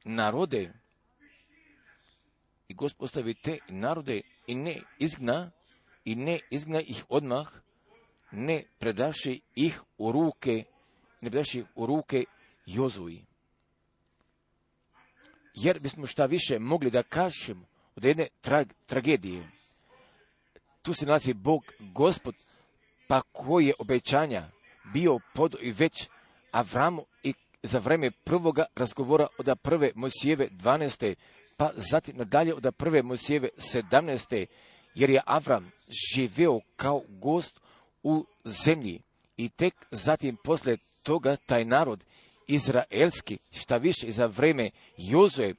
A: narode, i ne izgna ih odmah, ne predaši ih u ruke Jozuji. Jer bismo šta više mogli da kažemo od jedne tragedije. Tu se nalazi Bog, Gospod, pa koji je obećanja bio podao i već Avramu i za vreme prvoga razgovora od prve Mojsijeve 12. pa zatim nadalje od prve Mojsijeve 17. jer je Avram živeo kao gost u zemlji i tek zatim poslije toga taj narod izraelski, šta više za vreme Jozue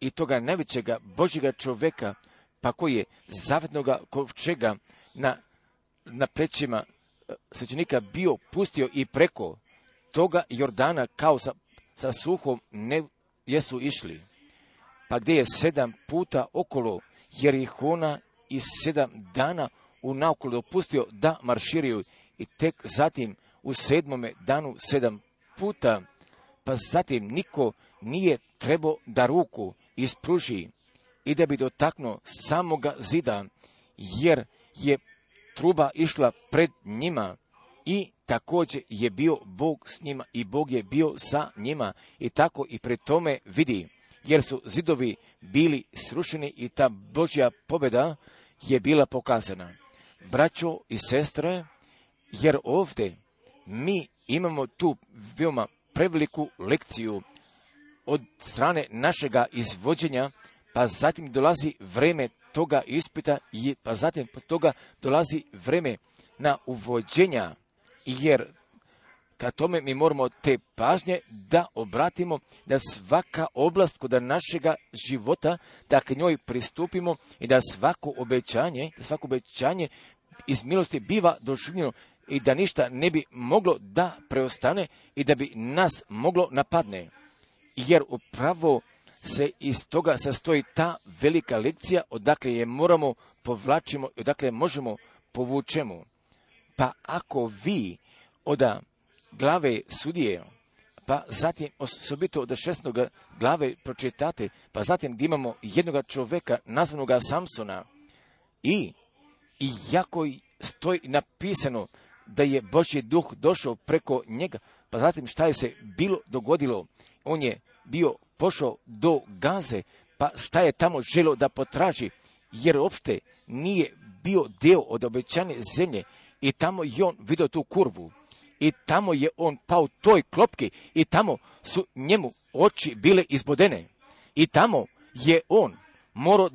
A: i toga najvećega Božjega čoveka, pa koji je zavetnoga kovčega na plećima svećenika bio pustio i preko toga Jordana kao sa suhom ne jesu išli. Pa gdje je 7 puta okolo Jerihona i 7 dana unaokolo dopustio da marširaju i tek zatim u 7. danu 7 puta, pa zatim niko nije trebao da ruku ispruži i da bi dotaknuo samoga zida, jer je truba išla pred njima i također je bio Bog s njima i Bog je bio sa njima i tako i pred tome vidi, jer su zidovi bili srušeni i ta Božja pobjeda je bila pokazana. Braćo i sestre, jer ovdje mi imamo tu veoma preveliku lekciju od strane našega izvođenja, pa zatim dolazi vreme toga ispita, pa zatim toga dolazi vreme na uvođenja, jer ka tome mi moramo te pažnje da obratimo, da svaka oblast kod našega života, da k njoj pristupimo i da svako obećanje iz milosti biva doživljeno i da ništa ne bi moglo da preostane i da bi nas moglo napadne. Jer upravo se iz toga sastoji ta velika lekcija odakle je moramo povlačimo i odakle možemo povučemo. Pa ako vi od glave sudije, pa zatim osobito od 16. glave pročitate, pa zatim gdje imamo jednoga čoveka nazvanoga Samsona i jako stoji napisano da je Božji duh došao preko njega, pa zatim šta je se bilo dogodilo, on je bio pošao do Gaze, pa šta je tamo želio da potraži, jer uopšte nije bio deo od obećane zemlje i tamo je on vidio tu kurvu i tamo je on pao toj klopki i tamo su njemu oči bile izbodene i tamo je on morao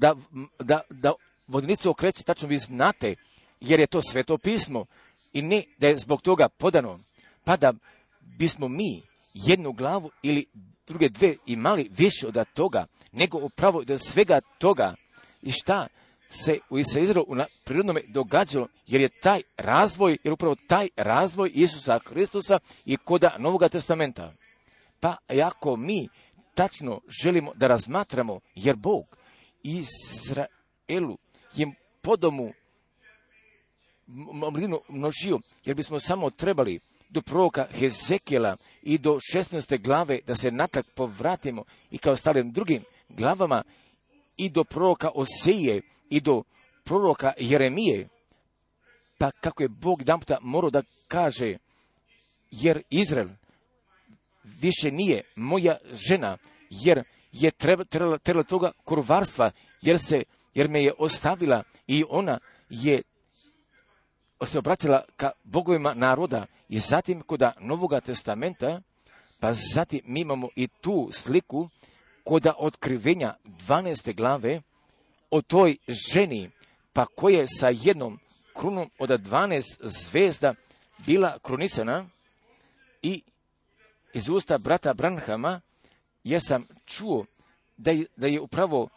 A: da vodenicu okreće, tačno vi znate, jer je to Sveto pismo i ne da je zbog toga podano, pa da bismo mi jednu glavu ili druge dve imali više od toga, nego upravo od svega toga i šta se u Izraelu na prirodnome događalo, jer upravo taj razvoj Isusa Hristusa i koda Novoga testamenta. Pa ako mi tačno želimo da razmatramo, jer Bog Izraelu je podomu množio, jer bismo samo trebali do proroka Hezekijela i do 16. glave da se natrag povratimo i kao ostalim drugim glavama i do proroka Oseje i do proroka Jeremije, pa kako je Bog jedanputa morao da kaže, jer Izrael više nije moja žena, jer je trebala toga kurvarstva, jer me je ostavila i ona je se obraćala ka bogovima naroda i zatim koda Novoga testamenta, pa zatim mi imamo i tu sliku koda otkrivenja 12. glave o toj ženi, pa koja je sa jednom krunom od 12 zvezda bila krunisana i iz usta brata Branhama ja sam čuo da je upravo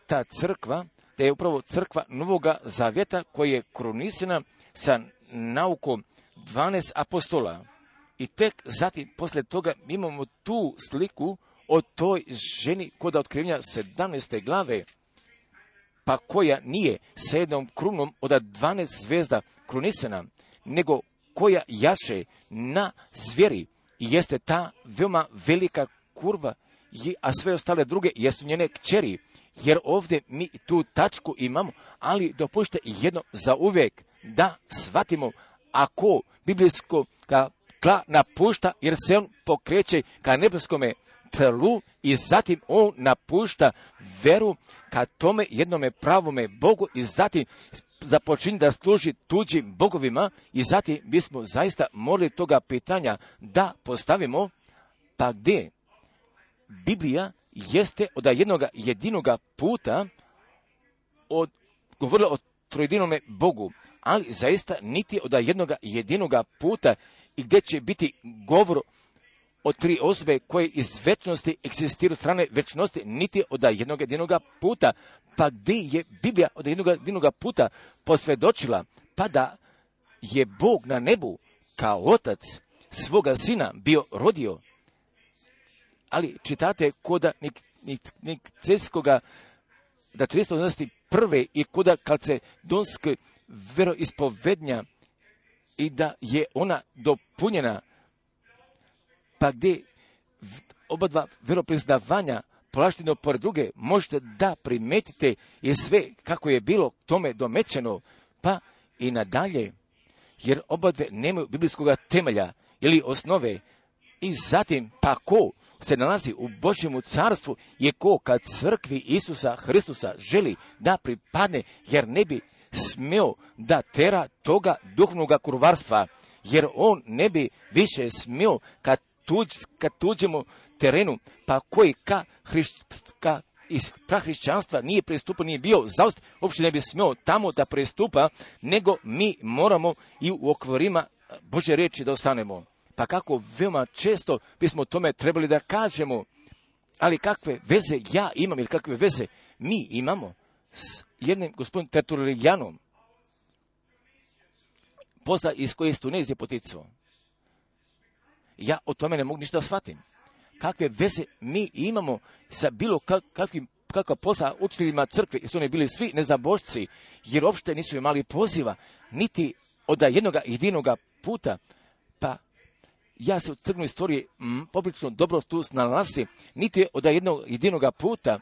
A: ta crkva, da je upravo crkva Novoga Zavjeta koja je krunisana sa naukom 12 apostola. I tek zatim, poslije toga, imamo tu sliku o toj ženi kod otkrivenja 17. glave, pa koja nije sa jednom krunom od 12 zvezda krunisana, nego koja jaše na zvijeri i jeste ta veoma velika kurva, a sve ostale druge jesu njene kćeri, jer ovdje mi tu tačku imamo, ali dopušte jedno za uvijek da shvatimo, ako biblijsko tla napušta, jer se on pokreće ka nebeskome tlu i zatim on napušta veru ka tome jednome pravome Bogu i zatim započinje da služi tuđim bogovima i zatim bismo zaista morali toga pitanja da postavimo, pa gdje Biblija jeste od jednog jedinoga puta govorila o trojedinome Bogu, ali zaista niti od jedinoga puta i gdje će biti govor o tri osobe koje iz večnosti egzistiraju strane večnosti, niti od jedinoga puta. Pa gdje je Biblija od jedinoga puta posvjedočila, pa da je Bog na nebu kao otac svoga sina bio rodio. Ali čitate koda Nikejskoga, da 381. i koda kalcedonske veroispovednja i da je ona dopunjena, pa gdje oba dva veropriznavanja polašteno pored druge, možete da primetite je sve kako je bilo tome domećeno, pa i nadalje, jer oba dve nemaju biblijskog temelja ili osnove. I zatim, pa ko se nalazi u Božjemu carstvu je ko kad crkvi Isusa Hristusa želi da pripadne, jer ne bi smio da tera toga duhovnoga kurvarstva, jer on ne bi više smio kad tuđemu terenu, pa koji iz prahrišćanstva nije pristupao, nije bio zaust, uopšte ne bi smio tamo da pristupa, nego mi moramo i u okvirima Božje riječi da ostanemo. Pa kako veoma često bismo tome trebali da kažemo, ali kakve veze ja imam ili kakve veze mi imamo s jednim gospodinom Tertulijanom, posla iz koje iz Tunezije poticao. Ja o tome ne mogu ništa shvatim. Kakve veze mi imamo sa bilo kakva posla učiteljima crkve, jer su oni bili svi neznabošci, jer uopšte nisu imali poziva, niti od jedinoga puta. Pa ja se u crkvenoj istoriji poprilično dobro tu snalazim, niti od jedinoga puta,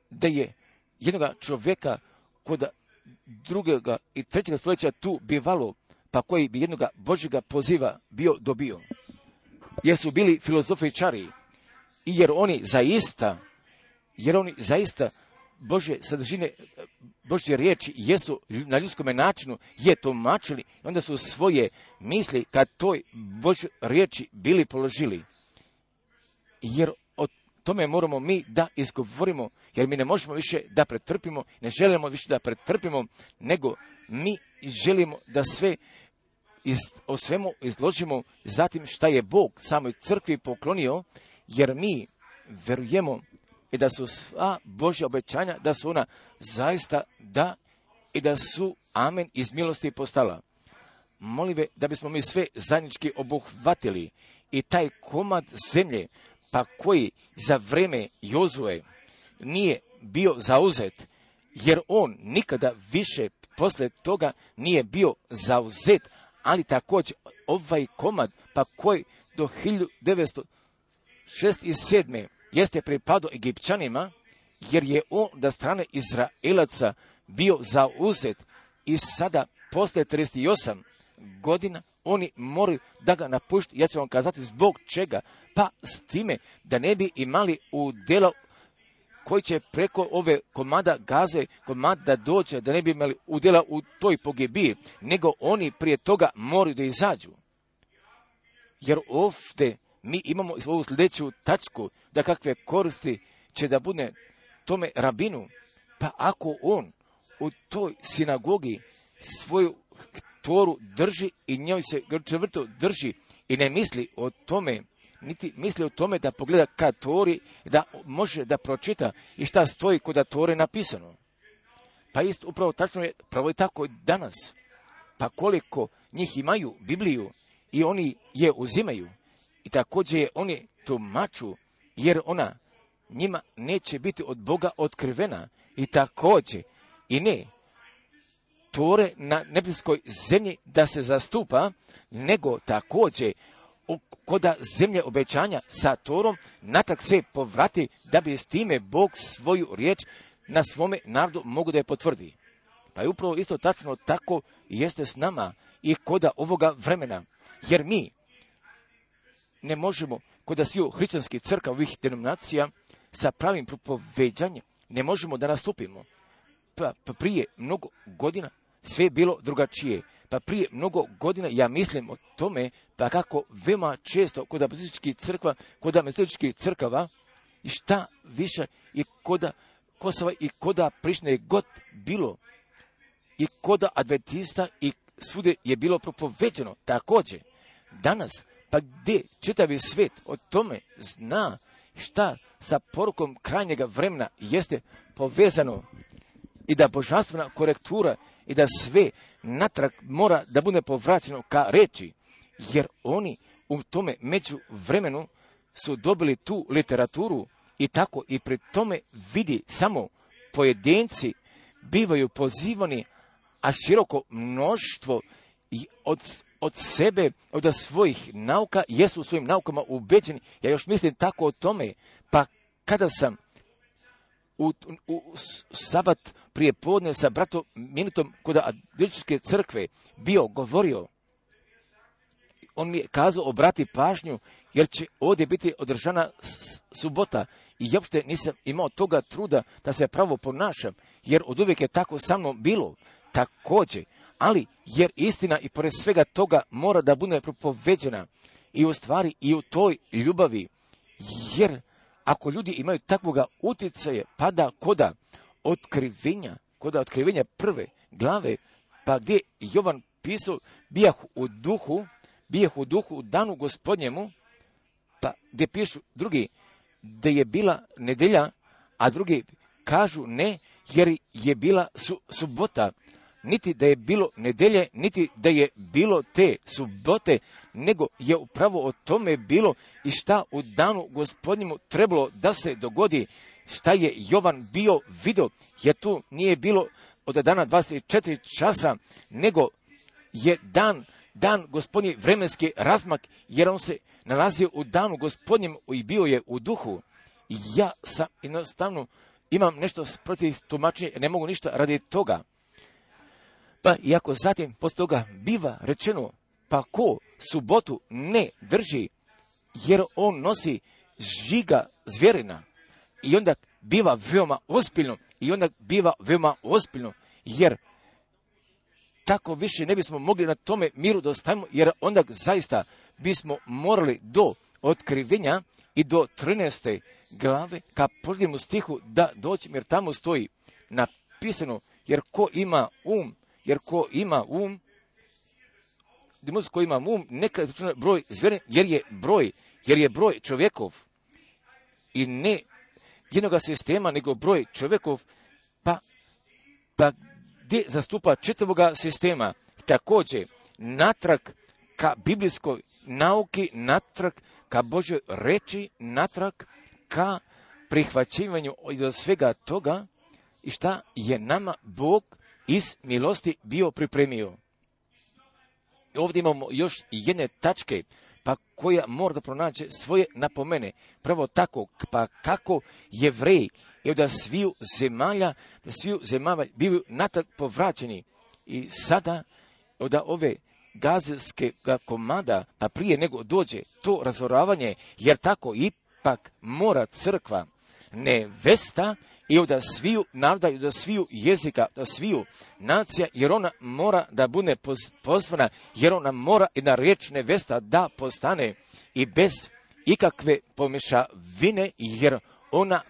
A: da je jednoga čovjeka kod drugega i trećega stoljeća tu bivalo, pa koji bi jednoga Božjega poziva bio dobio. Jer su bili filozofičari i jer oni zaista Božje sadržine, Božje riječi jesu na ljudskom načinu je tumačili, onda su svoje misli kad toj Božjoj riječi bili položili. Jer o tome moramo mi da izgovorimo, jer mi ne možemo više da pretrpimo, ne želimo više da pretrpimo, nego mi želimo da sve o svemu izložimo zatim šta je Bog samoj crkvi poklonio, jer mi verujemo i da su sva Božja obećanja, da su ona zaista da i da su amen iz milosti postala. Molim da bismo mi sve zajednički obuhvatili i taj komad zemlje, pa koji za vreme Jozue nije bio zauzet, jer on nikada više posle toga nije bio zauzet, ali također ovaj komad, pa koji do 1967. jeste pripadao Egipćanima, jer je on da strane Izraelaca bio zauzet i sada posle 38 godina oni moraju da ga napuštu. Ja ću vam kazati zbog čega, pa s time da ne bi imali udjela koji će preko ove komada Gaze, komad da dođe, da ne bi imali udjela u toj pogibiji, nego oni prije toga moraju da izađu. Jer ovdje mi imamo ovu sljedeću tačku, da kakve koristi će da bude tome rabinu, pa ako on u toj sinagogi svoju Toru drži i njoj se čvrsto drži i ne misli o tome, niti misli o tome da pogleda ka Tori, da može da pročita i šta stoji kod Tore napisano. Pa isto upravo tačno je, pravo je tako i danas. Pa koliko njih imaju Bibliju i oni je uzimaju i također je oni tumaču, jer ona njima neće biti od Boga otkrivena i također i ne Tore na nebeskoj zemlji da se zastupa, nego također koda zemlje obećanja sa Torom natak se povrati da bi s time Bog svoju riječ na svome narodu mogu da je potvrdi. Pa je upravo isto tačno tako jeste s nama i koda ovoga vremena, jer mi ne možemo koda sviju hrišćanskih crkava ovih denominacija sa pravim propoveđanjem ne možemo da nastupimo. Pa prije mnogo godina sve je bilo drugačije. Pa prije mnogo godina ja mislim o tome, pa kako veoma često kod metodističkih crkava i šta više i koda Kosova i koda Prištine god bilo, i koda Adventista i svude je bilo propoveđeno. Također, danas, pa gdje čitavi svijet o tome zna šta sa porukom krajnjega vremena jeste povezano i da božanstvena korektura i da sve natrag mora da bude povraćeno ka reči, jer oni u tome među vremenu su dobili tu literaturu i tako i pri tome vidi samo pojedinci bivaju pozivani, a široko mnoštvo i od sebe, od svojih nauka, jesu u svojim naukama ubeđeni. Ja još mislim tako o tome, pa kada sam u sabat prije podne sa bratom Minutom kod Adventističke crkve bio govorio, on mi je kazao obrati pažnju, jer će ovdje biti održana subota i ja uopšte nisam imao toga truda da se pravo ponašam, jer od uvijek je tako sa mnom bilo također, ali jer istina i pored svega toga mora da bude propoveđena i u stvari i u toj ljubavi, jer ako ljudi imaju takvoga utjecaja, pada koda otkrivenja prve glave, pa gdje Jovan pisao, bijah u duhu u danu Gospodnjemu, pa gdje pišu drugi da je bila nedelja, a drugi kažu ne, jer je bila subota. Niti da je bilo nedelje, niti da je bilo te subote, nego je upravo o tome bilo i šta u danu Gospodnjemu trebalo da se dogodi, šta je Jovan bio vidio, jer tu nije bilo od dana 24 časa, nego je dan Gospodnji vremenski razmak, jer on se nalazio u danu Gospodnjem i bio je u duhu. Ja sam jednostavno imam nešto protiv tumačenja, ne mogu ništa radi toga. Pa iako zatim poslije toga biva rečeno, pa ko subotu ne drži, jer on nosi žiga zvjerina, i onda biva veoma ozbiljno, jer tako više ne bismo mogli na tome miru da ostavimo, jer onda zaista bismo morali do otkrivenja i do 13. glave ka posljednjemu stihu da doći, jer tamo stoji napisano, jer ko ima um, neka izračuna broj zvjerin, jer je broj čovjekov i ne jednoga sistema, nego broj čovjekov, pa gdje zastupa čitavoga sistema. Također, natrag ka biblijskoj nauki, natrag ka Božoj reči, natrag ka prihvaćivanju od svega toga i šta je nama Bog iz milosti bio pripremio. Ovdje imamo još jedne tačke, pa koja mora da pronađe svoje napomene. Prvo tako, pa kako Jevreji i da sviju zemalja bivaju natrag povraćeni. I sada od ove gazelske komada, pa prije nego dođe to razoravanje, jer tako ipak mora crkva nevesta i da sviju naroda, i da sviju jezika, da sviju nacija, jer ona mora da bude pozvana, jer ona mora i na riječ nevesta da postane i bez ikakve pomješavine, jer ona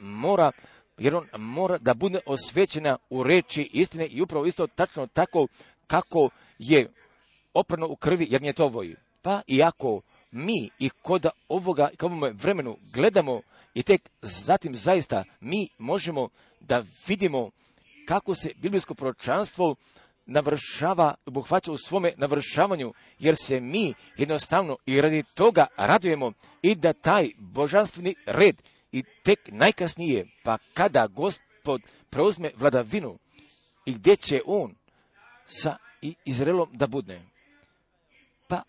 A: mora da bude osvećena u reči istine i upravo isto tačno tako kako je oprano u krvi jagnjetovoj. Pa iako mi i kod ovoga, ka ovome vremenu gledamo i tek zatim zaista mi možemo da vidimo kako se biblijsko proročanstvo navršava, obuhvaća u svome navršavanju, jer se mi jednostavno i radi toga radujemo i da taj božanstveni red i tek najkasnije, pa kada Gospod preuzme vladavinu i gdje će on sa Izraelom da budne. Pa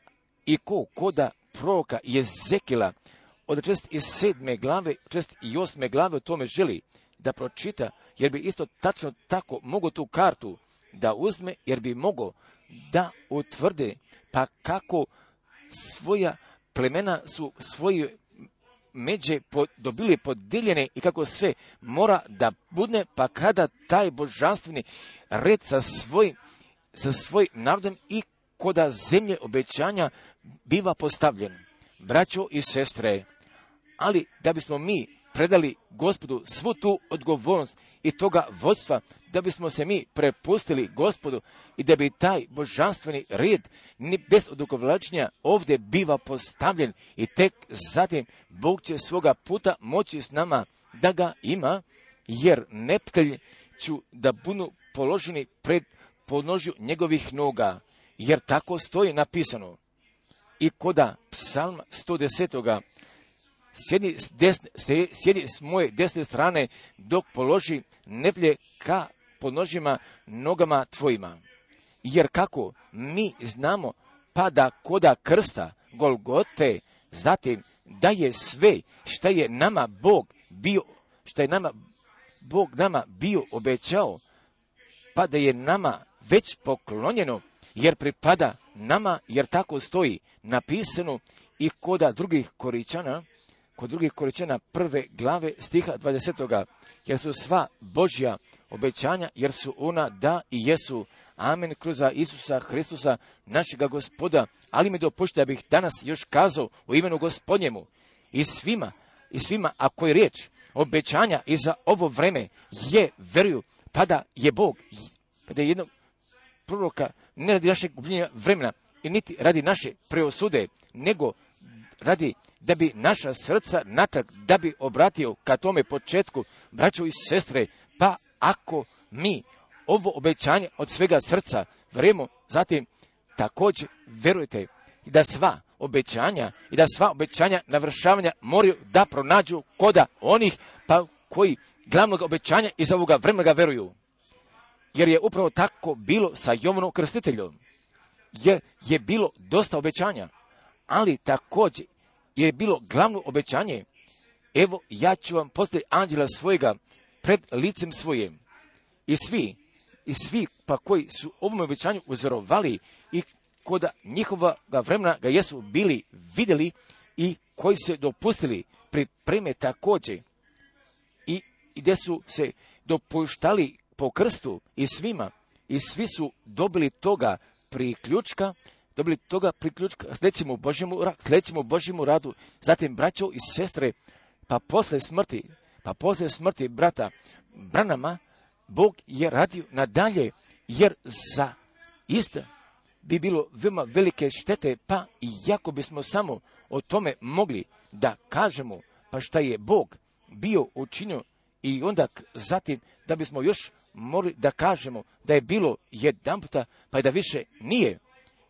A: i koda proroka Jezekila od 47. glave, 48. glave o tome želi da pročita, jer bi isto tačno tako mogo tu kartu da uzme, jer bi mogo da utvrde pa kako svoja plemena su svoje međe dobili podijeljene i kako sve mora da budne, pa kada taj božanstveni red sa svojim narodom i koda zemlje obećanja biva postavljen. Braćo i sestre, ali da bismo mi predali Gospodu svu tu odgovornost i toga vodstva, da bismo se mi prepustili Gospodu i da bi taj božanstveni red bez odugovlačenja ovdje biva postavljen i tek zatim Bog će svoga puta moći s nama da ga ima, jer neprijatelji ću da budu položeni pred podnožju njegovih noga, jer tako stoji napisano. I koda psalma 110. Sjedi s moje desne strane dok položi neprijatelje ka podnožjima nogama tvojima. Jer kako mi znamo, pa da koda krsta Golgote, zatim da je sve što je nama Bog bio obećao, pa da je nama već poklonjeno, jer pripada nama, jer tako stoji napisano i kod drugih Koričana 1. glave stiha 20. Jer su sva Božja obećanja, jer su ona da i jesu. Amen, kroz Isusa Hristusa, našega Gospoda. Ali mi dopušte da bih danas još kazao u imenu Gospodnjemu i svima, ako je riječ obećanja i za ovo vreme je veruju, pa da je Bog, pa da je jednog proroka ne radi našeg gubljenja vremena i niti radi naše preosude, nego radi da bi naša srca natrag, da bi obratio ka tome početku, braćo i sestre, pa ako mi ovo obećanje od svega srca verujemo, zatim također verujete da sva obećanja navršavanja moraju da pronađu koda onih pa koji glavnog obećanja iz ovoga vremena ga veruju. Jer je upravo tako bilo sa Jovanom Krstiteljom. Jer je bilo dosta obećanja, ali također je bilo glavno obećanje. Evo, ja ću vam postaviti anđela svojega pred licem svojim. I svi pa koji su ovom obećanju uzorovali i koda njihova vremena ga jesu bili vidjeli i koji se dopustili pripreme također i gdje su se dopuštali po krstu i svi su dobili toga priključka, sledećemo Božjemu radu, zatim braćo i sestre, pa posle smrti brata Branama, Bog je radio nadalje, jer za isto bi bilo veoma velike štete, pa iako bismo samo o tome mogli da kažemo, pa šta je Bog bio učinio i onda zatim da bismo još mogli da kažemo da je bilo jedan puta, pa i da više nije.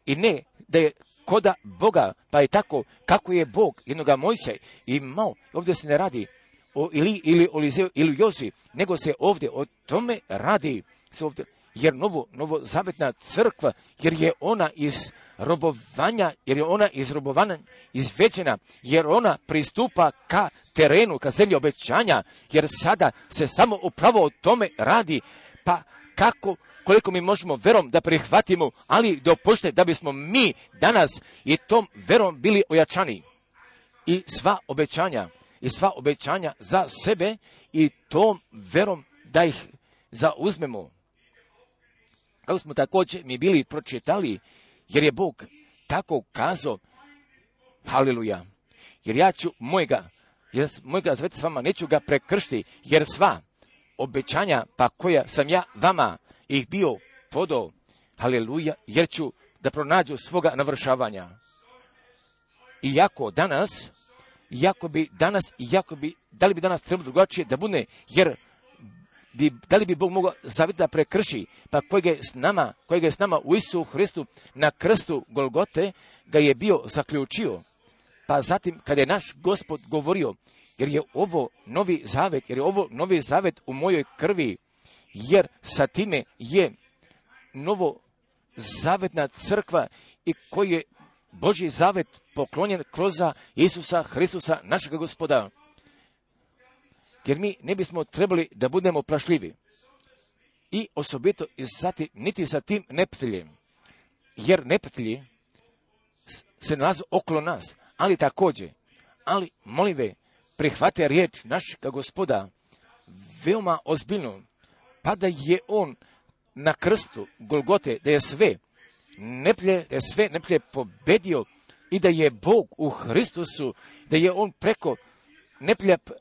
A: I ne da je koda Boga, pa je tako kako je Bog jednoga Mojsija imao. Ovdje se ne radi o Ili ili o Lizeu ili Jozi, nego se ovdje o tome radi. Jer novozavetna crkva, jer je ona iz robovanja izveđena, jer ona pristupa ka terenu, ka zemlji obećanja, jer sada se samo upravo o tome radi, pa koliko mi možemo verom da prihvatimo, ali dopušte da bismo mi danas i tom verom bili ojačani. I sva obećanja za sebe i tom verom da ih zauzmemo. Kako smo također mi bili pročitali, jer je Bog tako kazao, haleluja, jer ja ću mojega zaveta s vama neću ga prekršiti, jer sva obećanja pa koja sam ja vama ih bio podao, haleluja, jer ću da pronađu svoga navršavanja. Iako da li bi danas trebalo drugačije da bude, jer da li bi Bog mogao zavet da prekrši, pa kojega je s nama u Isusu Hristu na krstu Golgote ga je bio zaključio. Pa zatim kada je naš Gospod govorio, jer je ovo novi zavet u mojoj krvi, jer sa time je novozavetna crkva i koji je Božji zavet poklonjen kroz Isusa Hristusa, našega Gospoda. Jer mi ne bismo trebali da budemo plašljivi. I osobito niti sa tim neprijateljem. Jer neprijatelji se nalaze okolo nas. Ali molim ve, prihvate riječ našega Gospoda veoma ozbiljno. Pa da je on na krstu Golgote, da je sve neprijatelje pobedio i da je Bog u Hristusu, da je on preko neprijatelja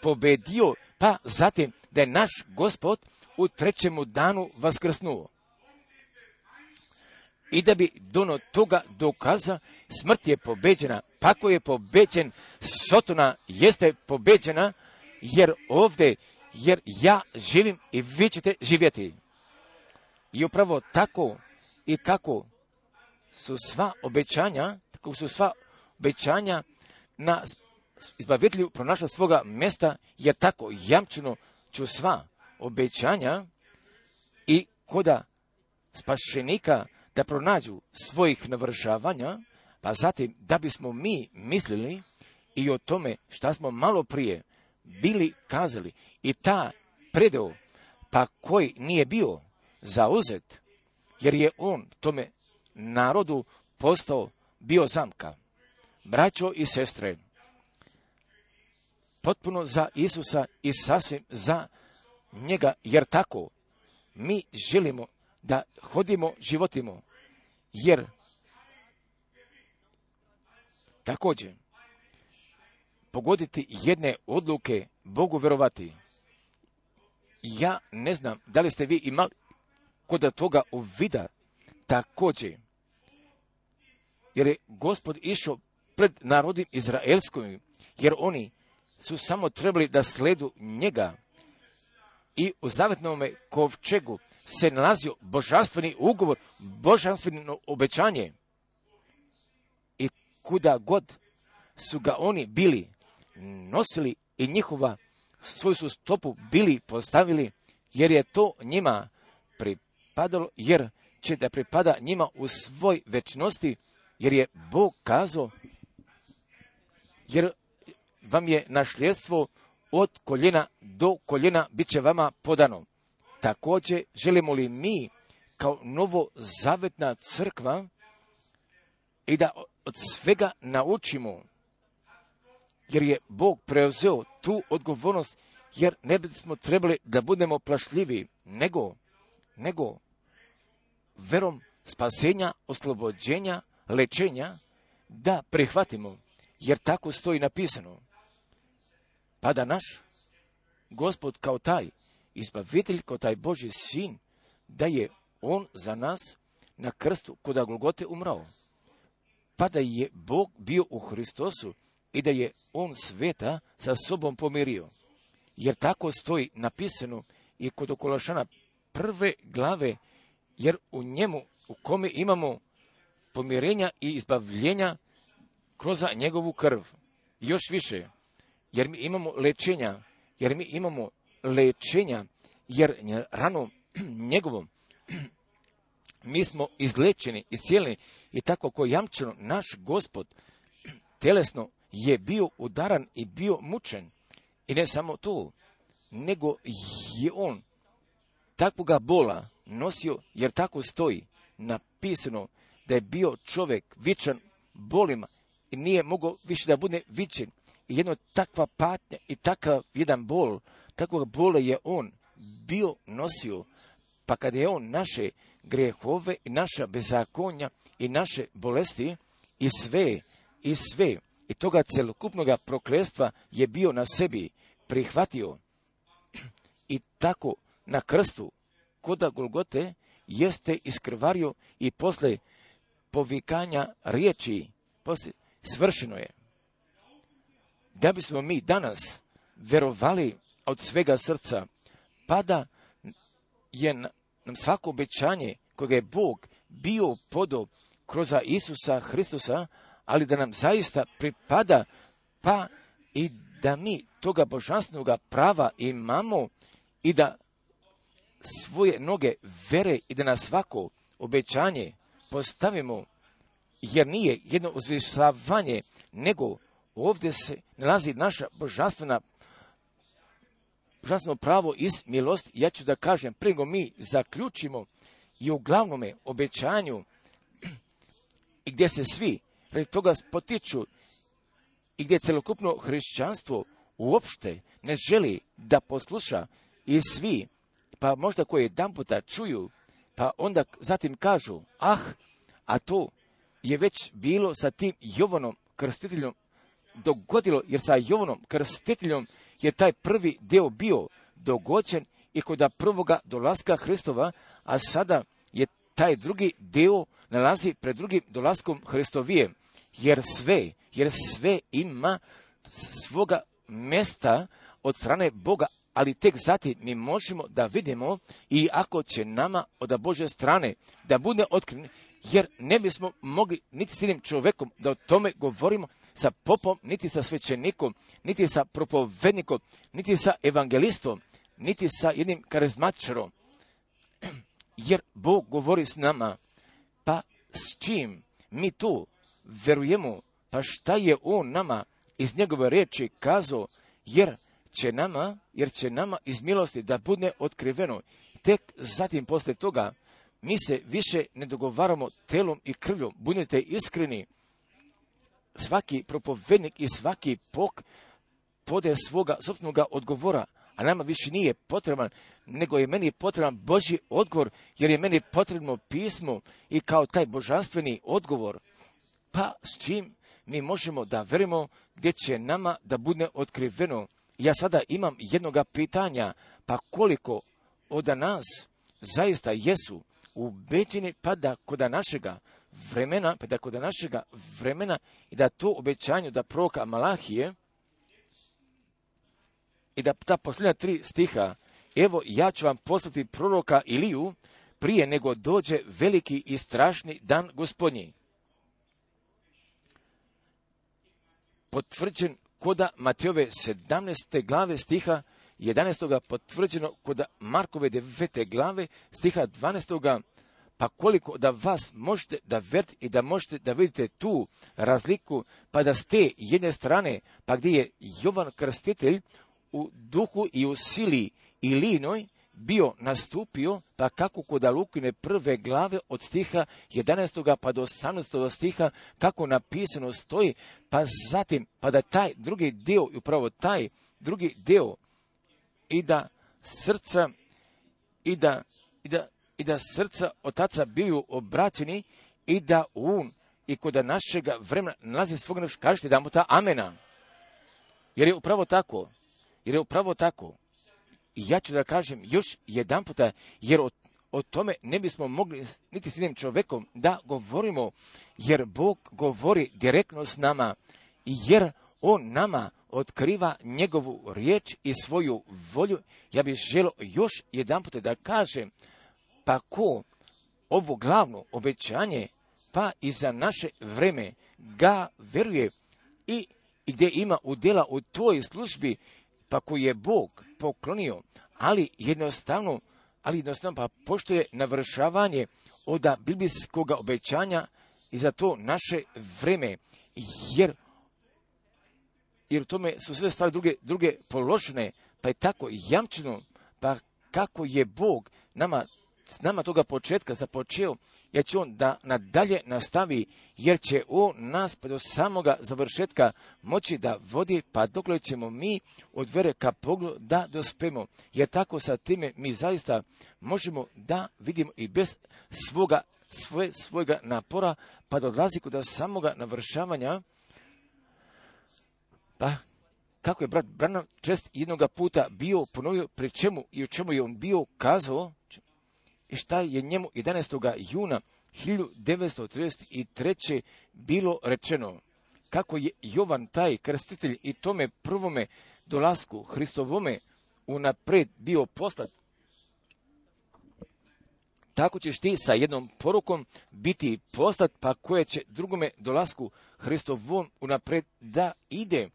A: pobedio, pa zatim da je naš Gospod u trećemu danu vaskrsnuo. I da bi do toga dokaza, smrt je pobeđena, pakao je pobeđen, Sotona jeste pobeđena, jer ja živim i vi ćete živjeti. I upravo tako i kako su sva obećanja na izbavitelju pronašla svoga mjesta, jer tako jamčeno ću sva obećanja i koda spašenika da pronađu svojih navršavanja, pa zatim da bismo mi mislili i o tome šta smo malo prije bili kazali i ta predeo, pa koji nije bio zauzet, jer je on tome narodu bio zamka. Braćo i sestre, potpuno za Isusa i sasvim za njega, jer tako mi želimo da hodimo, životimo, jer također pogoditi jedne odluke Bogu verovati. Ja ne znam da li ste vi imali kod toga uvida također, jer je Gospod išao pred narodom izraelskom, jer oni su samo trebali da sledu njega i u zavetnom kovčegu se nalazio božanstveni ugovor, božanstveno obećanje. I kuda god su ga oni bili nosili i svoju su stopu bili postavili, jer je to njima pripadalo, jer će da pripada njima u svoj večnosti, jer je Bog kazao, jer vam je nasljedstvo od koljena do koljena bit će vama podano. Također želimo li mi kao novozavetna crkva i da od svega naučimo, jer je Bog preuzeo tu odgovornost, jer ne bismo trebali da budemo plašljivi, nego verom spasenja, oslobođenja, lečenja, da prihvatimo, jer tako stoji napisano. Pa da naš Gospod kao taj izbavitelj, kao taj Božji sin, da je on za nas na krstu kod Golgote umrao. Pa da je Bog bio u Hristosu i da je on sveta sa sobom pomirio. Jer tako stoji napisano i kod Kološana 1. glave, jer u njemu, u kome imamo pomirenja i izbavljenja kroz njegovu krv. Još više, jer mi imamo lečenja, jer ranom njegovom mi smo izlečeni, iscijeljeni i tako ko jamčeno naš Gospod telesno je bio udaran i bio mučen. I ne samo to, nego je on takvoga bola nosio, jer tako stoji napisano da je bio čovjek vičan bolima i nije mogao više da bude vičen. I jedna takva patnja i takav jedan bol, takvog bola je on bio nosio. Pa kada je on naše grehove i naša bezakonja i naše bolesti i sve i toga celokupnoga prokletstva je bio na sebi prihvatio. I tako na krstu kod Golgote jeste iskrvario i posle povikanja riječi svršeno je. Da bismo mi danas verovali od svega srca, pa da je nam svako obećanje kojeg je Bog bio podao kroz Isusa Hristusa, ali da nam zaista pripada, pa i da mi toga božanstvenog prava imamo i da svoje noge vere i da na svako obećanje postavimo, jer nije jedno uzvišavanje, nego ovdje se nalazi naša božanstveno pravo iz milosti. Ja ću da kažem, prije nego mi zaključimo i u glavnome obećanju i gdje se svi radi toga potiču i gdje celokupno hrišćanstvo uopšte ne želi da posluša i svi, pa možda koji jedan puta čuju, pa onda zatim kažu, a to je već bilo sa tim Jovanom Krstiteljom dogodilo, jer sa Jovanom Krstiteljom je taj prvi dio bio dogođen i kod prvoga dolaska Hristova, a sada je taj drugi dio nalazi pred drugim dolaskom Hristovije, jer sve ima svoga mjesta od strane Boga, ali tek zatim mi možemo da vidimo i ako će nama od Božje strane da bude otkriven, jer ne bismo mogli niti s jednim čovjekom da o tome govorimo sa popom, niti sa svećenikom, niti sa propovednikom, niti sa evangelistom, niti sa jednim karizmatičarom. Jer Bog govori s nama, pa s čim mi tu verujemo, pa šta je On nama iz njegove riječi kazao, jer će nama iz milosti da bude otkriveno. Tek zatim poslije toga mi se više ne dogovaramo telom i krvljom. Budite iskreni. Svaki propovednik i svaki pode svoga sopstvenoga odgovora, a nama više nije potreban, nego je meni potreban Božji odgovor, jer je meni potrebno pismo i kao taj božanstveni odgovor. Pa s čim mi možemo da verimo gdje će nama da bude otkriveno? Ja sada imam jednoga pitanja, pa koliko od nas zaista jesu ubeđeni pa da kod našega vremena i da to obećanju da proroka Malahije i da ta posljednja 3 stiha, evo ja ću vam poslati proroka Iliju prije nego dođe veliki i strašni dan Gospodnji. Potvrđen kod Matejove 17. glave stiha 11. potvrđeno kod Markove 9. glave stiha 12. Pa koliko da vas možete da verite i da možete da vidite tu razliku, pa da ste jedne strane, pa gdje je Jovan Krstitelj u duhu i u sili i linoj bio nastupio, pa kako kod Lukine 1. glave od stiha 11. pa do 18. stiha, kako napisano stoji, pa zatim, pa da taj drugi dio, i upravo taj drugi dio, i da srca otaca biju obraćeni i da on i kod našega vremena nalazi svog nešto, kažete da mu ta amena. Jer je upravo tako. I ja ću da kažem još jedan puta, jer o tome ne bismo mogli niti s jednim čovjekom da govorimo, jer Bog govori direktno s nama, jer On nama otkriva njegovu riječ i svoju volju. Ja bih želio još jedan puta da kažem, pa ko ovo glavno obećanje, pa i za naše vreme ga veruje i gdje ima udjela u tvojoj službi, pa koji je Bog poklonio, ali jednostavno pa pošto je navršavanje od biblijskog obećanja i za to naše vreme, jer u tome su sve stvari druge položene, pa je tako jamčeno, pa kako je Bog s nama toga početka započeo, jer će On da nadalje nastavi, jer će On nas pa do samoga završetka moći da vodi, pa dokle ćemo mi od vere ka pogledu da dospemo. Jer tako sa time mi zaista možemo da vidimo i bez svojega napora, pa dolazi kod samoga navršavanja. Pa kako je brat Branham čest jednoga puta bio ponovio pri čemu i u čemu je on bio kazao, i šta je njemu 11. juna 1933. bilo rečeno, kako je Jovan taj krstitelj i tome prvome dolasku Hristovome unapred bio poslat, tako ćeš ti sa jednom porukom biti poslat, pa koje će drugome dolasku Hristovom unapred da ide,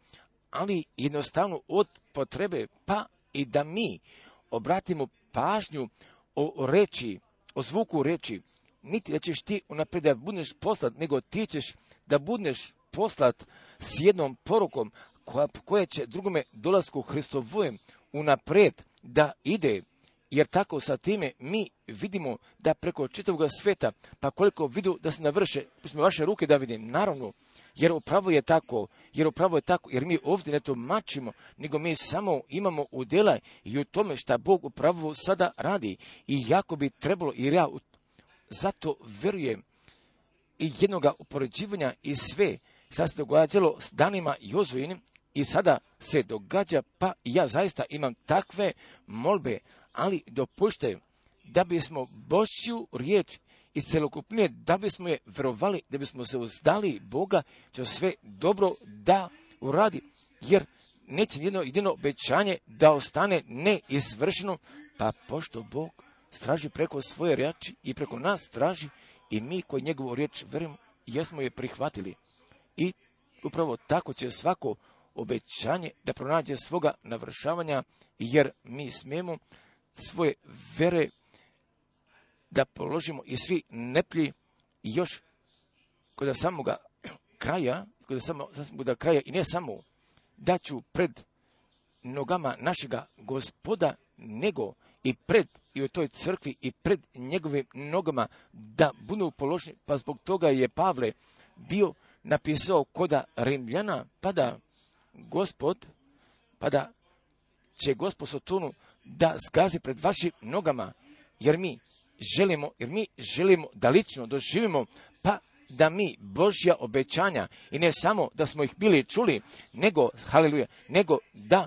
A: ali jednostavno od potrebe, pa i da mi obratimo pažnju o reči, o zvuku reči, niti da ćeš ti unaprijed da budeš poslat, nego ti ćeš da budeš poslat s jednom porukom koja će drugome dolasku Hristovojem unaprijed da ide, jer tako sa time mi vidimo da preko čitavog sveta, pa koliko vidu da se navrše, pustimo vaše ruke da vidim, naravno, jer upravo je tako, jer mi ovdje ne tumačimo, nego mi samo imamo udjela i u tome šta Bog upravo sada radi. I jako bi trebalo, jer ja zato vjerujem i jednoga upoređivanja i sve šta se događalo s danima Jozuinim, i sada se događa, pa ja zaista imam takve molbe, ali dopušte da bismo Božju riječ iz celokupnije, da bismo je verovali, da bismo se uzdali Boga, će sve dobro da uradi, jer neće jedino obećanje da ostane neizvršeno, pa pošto Bog straži preko svoje riječi i preko nas straži, i mi koji njegovu riječ verujemo, jesmo je prihvatili. I upravo tako će svako obećanje da pronađe svoga navršavanja, jer mi smijemo svoje vere da položimo i svi neplji i još kod samoga kraja, i ne samo da ću pred nogama našega Gospoda, nego i u toj crkvi i pred njegovim nogama da budu položeni, pa zbog toga je Pavle bio napisao koda Rimljana, pa da će Gospod Sotonu da zgazi pred vašim nogama, jer mi želimo da lično doživimo, pa da mi Božja obećanja, i ne samo da smo ih bili čuli, nego, haleluja, nego da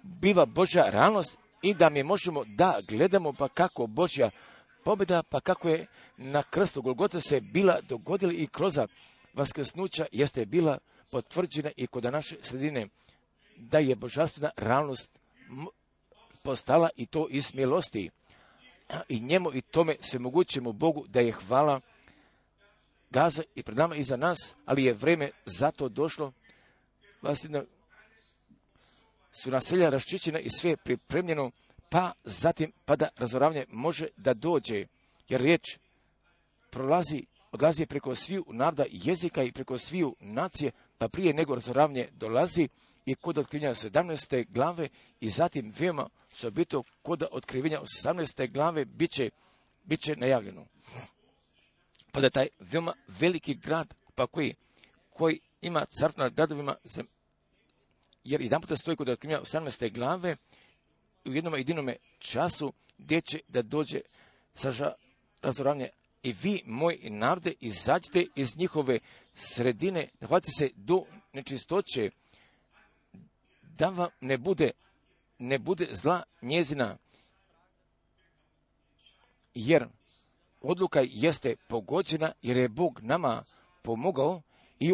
A: biva Božja realnost i da mi možemo da gledamo pa kako Božja pobjeda, pa kako je na krstu Golgote se bila dogodila i kroz vaskrsnuća jeste bila potvrđena i kod naše sredine, da je božanstvena realnost postala i to iz milosti. I njemu i tome sve mogućemo Bogu da je hvala gaza i pred nama i za nas, ali je vreme za to došlo. Su naselja raščišćena i sve pripremljeno, pa zatim da razoravanje može da dođe, jer riječ odlazi preko sviju naroda jezika i preko sviju nacije, pa prije nego razoravanje dolazi i kod otkrivenja 17. glave i zatim veoma osobito kod otkrivenja 18. glave bit će najavljeno. Pa da taj veoma veliki grad, pa koji ima carstvo nad gradovima, jer jedan puta stoji kod otkrivenja 18. glave u jednom jedinome času gdje će da dođe razoravanje. I vi, moji narode, izađite iz njihove sredine, hvatite se do nečistoće, da vam ne bude zla njezina, jer odluka jeste pogođena, jer je Bog nama pomogao i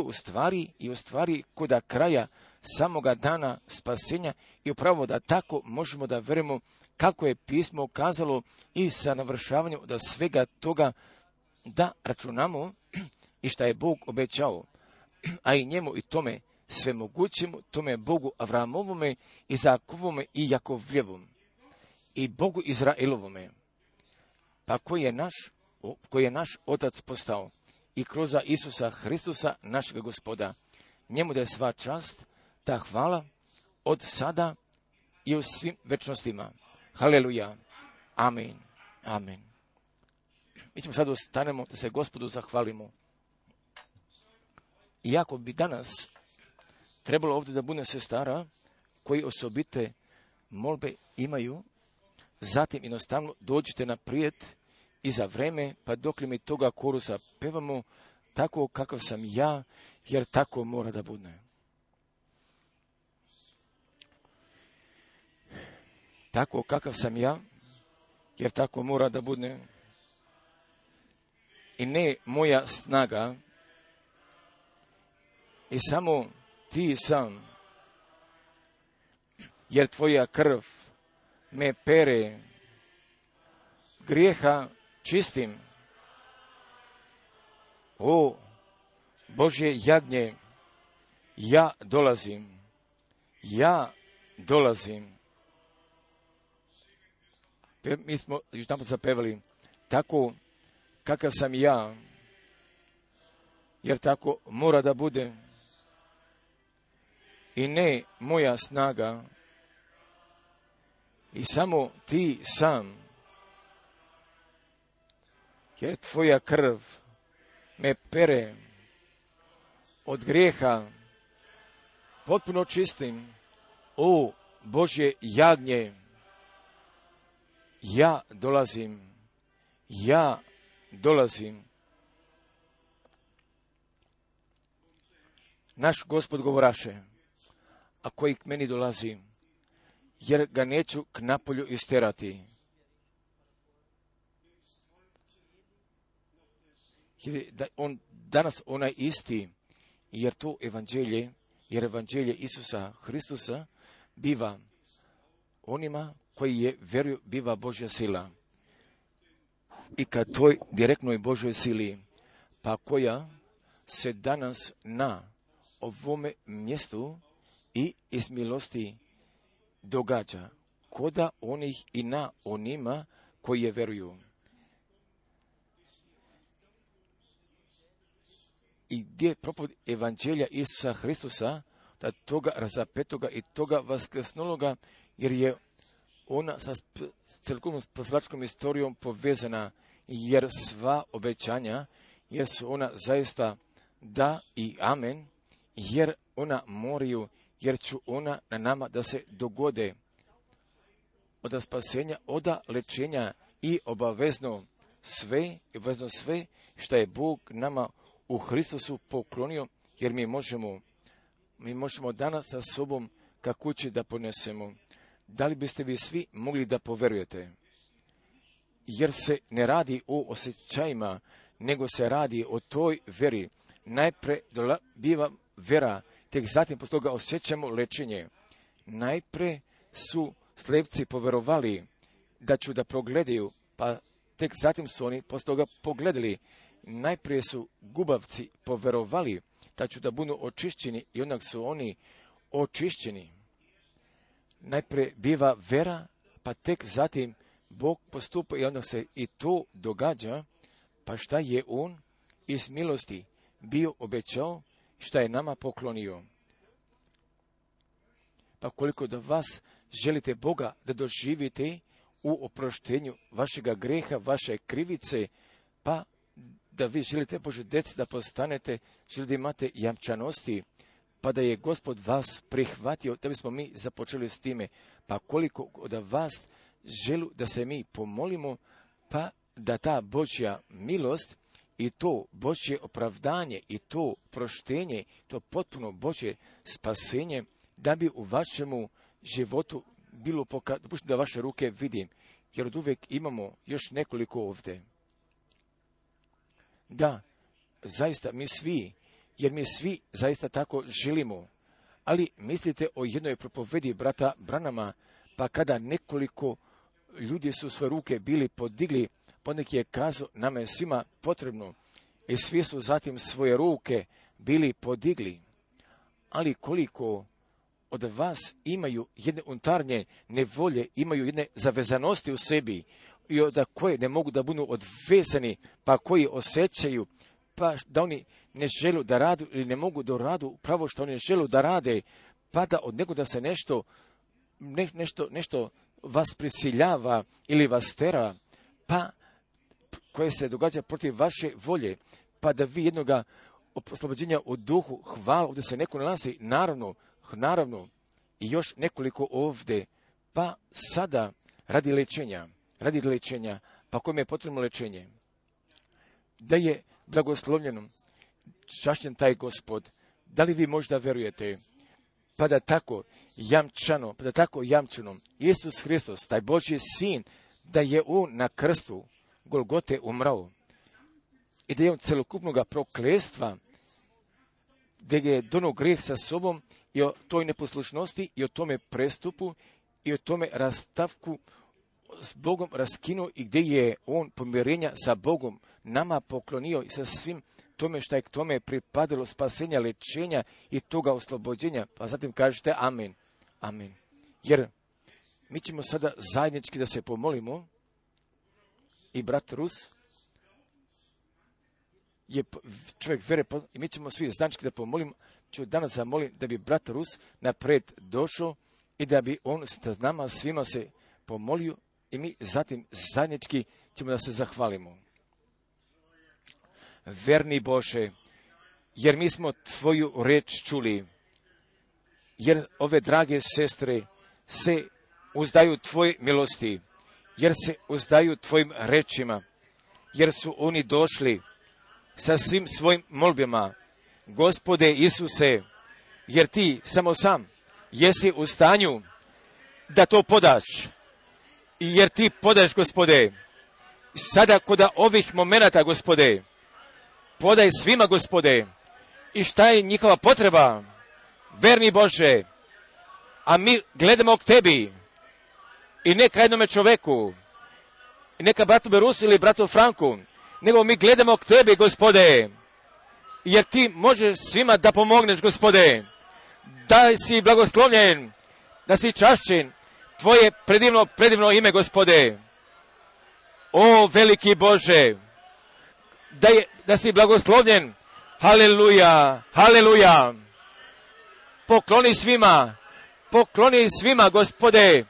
A: u stvari kod kraja samoga dana spasenja, i upravo da tako možemo da verujemo kako je pismo kazalo i sa navršavanjem da svega toga da računamo i šta je Bog obećao, a i njemu i tome sve mogućemu, tome Bogu Avramovome, Izakovome i Jakovljevom i Bogu Izraelovome, pa koji je naš Otac postao i kroz Isusa Hristusa našega Gospoda. Njemu da je sva čast, ta hvala od sada i u svim večnostima. Haleluja. Amen. Amen. Mi ćemo sad ostanemo da se Gospodu zahvalimo. Iako bi danas trebalo ovdje da bude sestara koji osobite molbe imaju, zatim jednostavno dođite naprijed i za vreme, pa dok li mi toga korusa pevamo, tako kakav sam ja, jer tako mora da bude. Tako kakav sam ja, jer tako mora da bude. I ne moja snaga, i samo ti sam, jer tvoja krv me pere, grijeha čistim. O Božje jagnje, ja dolazim. Mi smo još tamo zapevali, tako kakav sam ja, jer tako mora da bude. I ne moja snaga, i samo ti sam, jer tvoja krv me pere od grijeha, potpuno čistim. O Božje jagnje, ja dolazim. Naš Gospod govoraše, a koji k meni dolazi, jer ga neću k napolju isterati. Jer da on danas onaj isti, jer to evanđelje Isusa Hristusa biva onima koji vjeruju, biva Božja sila. I kad toj direktnoj Božoj sili, pa koja se danas na ovome mjestu i iz milosti događa, koda onih i na onima koji je vjeruju. I gdje je propovjed evanđelja Isusa Hristusa, da toga razapetoga i toga vaskrsnuloga, jer je ona sa celokupnom spasilačkom istorijom povezana, jer sva obećanja, jer su ona zaista da i amen, jer ona moraju, jer će ona na nama da se dogode od spasenja, od lečenja i obavezno sve što je Bog nama u Hristusu poklonio, jer mi možemo danas sa sobom ka kući da ponesemo. Da li biste vi svi mogli da poverujete? Jer se ne radi o osjećajima, nego se radi o toj veri. Najpre biva vera, tek zatim poslije toga osjećamo lečenje. Najpre su slepci poverovali da ću da progledaju, pa tek zatim su oni poslije toga pogledali. Najprije su gubavci poverovali da ću da budu očišćeni i onak su oni očišćeni. Najprije biva vera, pa tek zatim Bog postupa i onda se i to događa, pa šta je on iz milosti bio obećao, šta je nama poklonio. Pa koliko da vas želite Boga da doživite u oproštenju vašega greha, vaše krivice, pa da vi želite Bože djeci da postanete, želite imate jamčanosti, pa da je Gospod vas prihvatio, da bismo mi započeli s time. Pa koliko od vas želu da se mi pomolimo, pa da ta Božja milost i to Božje opravdanje i to proštenje, to potpuno Božje spasenje, da bi u vašemu životu bilo dopušteno da vaše ruke vidim, jer od uvijek imamo još nekoliko ovdje. Da, zaista mi svi, jer mi svi zaista tako želimo, ali mislite o jednoj propovedi brata Branama, pa kada nekoliko ljudi su svoje ruke bili podigli, poneki je kazao, nama je svima potrebno, i svi su zatim svoje ruke bili podigli. Ali koliko od vas imaju jedne unutarnje nevolje, imaju jedne zavezanosti u sebi, i od koje ne mogu da budu odvezani, pa koji osjećaju, pa da oni ne žele da radu ili ne mogu da radu upravo što oni žele da rade, pa da od nego da se nešto vas prisiljava ili vas tera, pa koje se događa protiv vaše volje, pa da vi jednoga oslobođenja u duhu, hvala, ovdje se neko nalazi, naravno, i još nekoliko ovdje, pa sada radi lečenja, pa kome je potrebno lečenje? Da je blagoslovljeno, čašćen taj Gospod, da li vi možda verujete? Pa da tako jamčano, Isus Hristos, taj Božji sin, da je on na krstu Golgote umrao i da je on celokupnog prokletstva, da je donio grijeh sa sobom i o toj neposlušnosti i o tome prestupu i o tome rastavku s Bogom raskinuo i gdje je on pomirenja sa Bogom nama poklonio i sa svim tome što je k tome pripadalo spasenja, lečenja i toga oslobođenja. Pa zatim kažete amen. Amen. Jer mi ćemo sada zajednički da se pomolimo i brat Rus je čovjek vere i mi ćemo svi zajednički da pomolimo. Ću danas zamolim da bi brat Rus napred došao i da bi on s nama svima se pomolio i mi zatim zajednički ćemo da se zahvalimo. Verni Bože, jer mi smo Tvoju reč čuli, jer ove drage sestre se uzdaju Tvoje milosti, jer se uzdaju Tvojim rečima, jer su oni došli sa svim svojim molbama. Gospode Isuse, jer Ti samo sam jesi u stanju da to podaš. Jer ti podaješ, Gospode. Sada kod ovih momenata, Gospode, podaj svima, Gospode. I šta je njihova potreba? Verni Bože, a mi gledamo k Tebi. I neka jednome čoveku, i neka bratu Berusu ili bratu Franku, nego mi gledamo k Tebi, Gospode. Jer Ti možeš svima da pomogneš, Gospode. Da si blagoslovljen, da si čašćen. Tvoje predivno ime, Gospode. O, veliki Bože, da si blagoslovljen. Haleluja, haleluja. Pokloni svima, Gospode.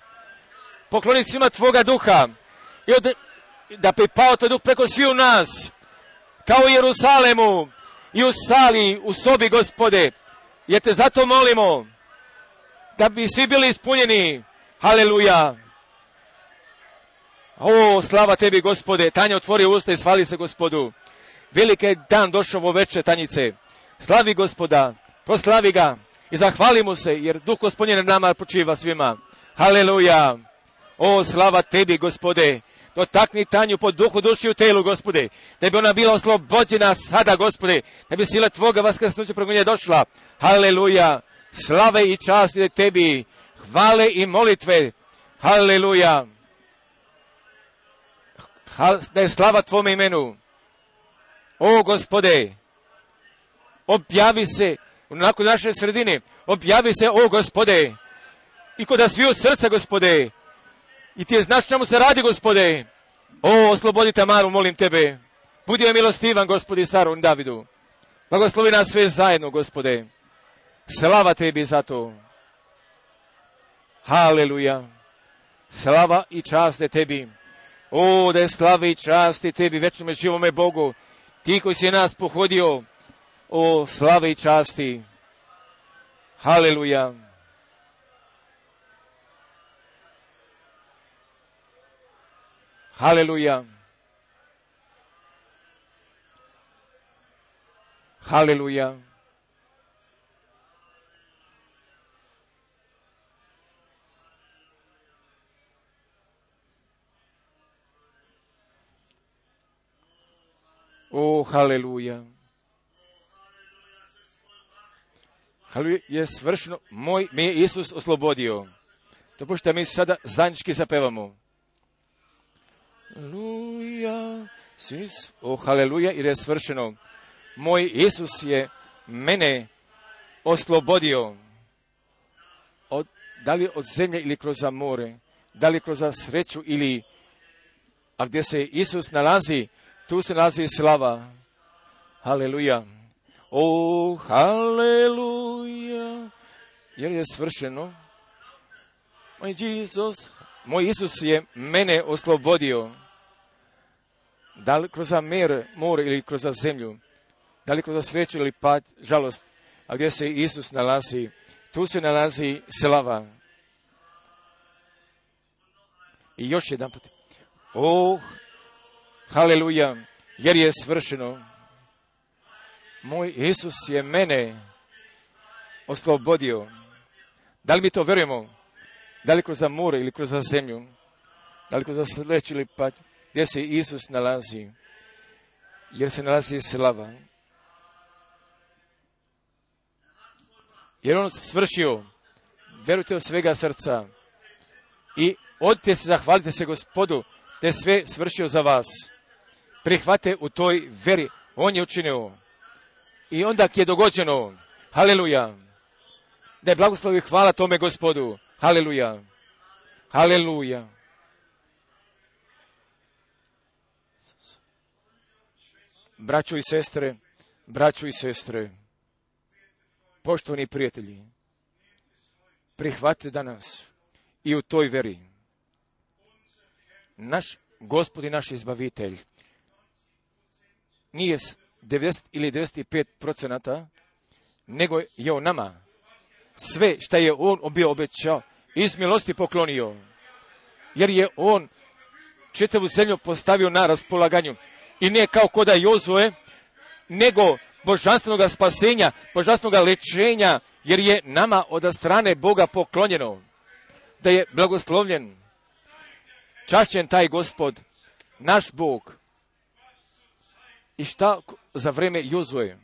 A: Pokloni svima Tvoga duha. I da pripao Tvoj duh preko svi u nas. Kao u Jerusalemu i u sali, u sobi, Gospode. Jer Te zato molimo da bi svi bili ispunjeni. Haleluja. O, slava Tebi, Gospode. Tanja, otvori usta i svali se Gospodu. Veliki je dan došao ovo veče, Tanjice. Slavi Gospoda, proslavi ga i zahvali mu se, jer Duh Gospodnje na nama počiva svima. Haleluja. O, slava Tebi, Gospode. Dotakni Tanju po duhu, duši i telu, Gospode. Da bi ona bila oslobođena sada, Gospode. Da bi sila Tvoga vaskrsnuća preko nje došla. Haleluja. Slave i čast ide Tebi. Hvale i molitve. Haleluja. Da je slava Tvome imenu. O, Gospode, objavi se nakon naše sredine. Objavi se, o, Gospode, i kod sviju srca, Gospode. I Ti je znaš čemu se radi, Gospode. O, oslobodi Tamaru, molim Tebe. Budi joj milostivan, Gospodi, Saru, Davidu. Blagoslovi nas sve zajedno, Gospode. Slava Tebi za to. Haleluja. Slava i čast je Tebi. O, da je slava i čast je Tebi, večnome živome Bogu. Ti koji si nas pohodio, o, slave i časti. Haleluja. Haleluja. Haleluja. O, haleluja. Haleluja je svršeno. Me je Isus oslobodio. Dopušta mi sada zajednički zapevamo. Haleluja. O, haleluja, jer je svršeno. Moj Isus je mene oslobodio. Da li od zemlje ili kroz more, da li kroz sreću ili, a gdje se Isus nalazi, tu se nalazi slava. Haleluja. O, haleluja. Jer je svršeno. Moj Isus je mene oslobodio. Da li kroz more ili kroz zemlju, da li kroz sreću ili pad, žalost, a gdje se Isus nalazi, tu se nalazi slava. I još jedan put. O, haleluja, jer je svršeno. Moj Isus je mene oslobodio. Da li mi to verujemo? Da li kroz more ili kroz zemlju? Da li kroz sreću ili pad? Gdje se Isus nalazi? Jer se nalazi slava. Jer on svršio. Verujte od svega srca. I odite se, zahvalite se Gospodu da je sve svršio za vas. Prihvate u toj veri. On je učinio. I onda je dogođeno. Haleluja. Da je blagoslovi hvala tome Gospodu. Haleluja. Haleluja. Braćo i sestre, poštovani prijatelji, prihvatite danas i u toj veri. Naš Gospod i naš izbavitelj nije 90 ili 95%, nego je on nama sve što je on bio obećao iz milosti poklonio. Jer je on čitavu zemlju postavio na raspolaganju. I ne kao koda Jozue, nego božanstvenog spasenja, božanstvenog lečenja jer je nama od strane Boga poklonjeno, da je blagoslovljen, čašćen taj Gospod, naš Bog. I šta za vreme Jozue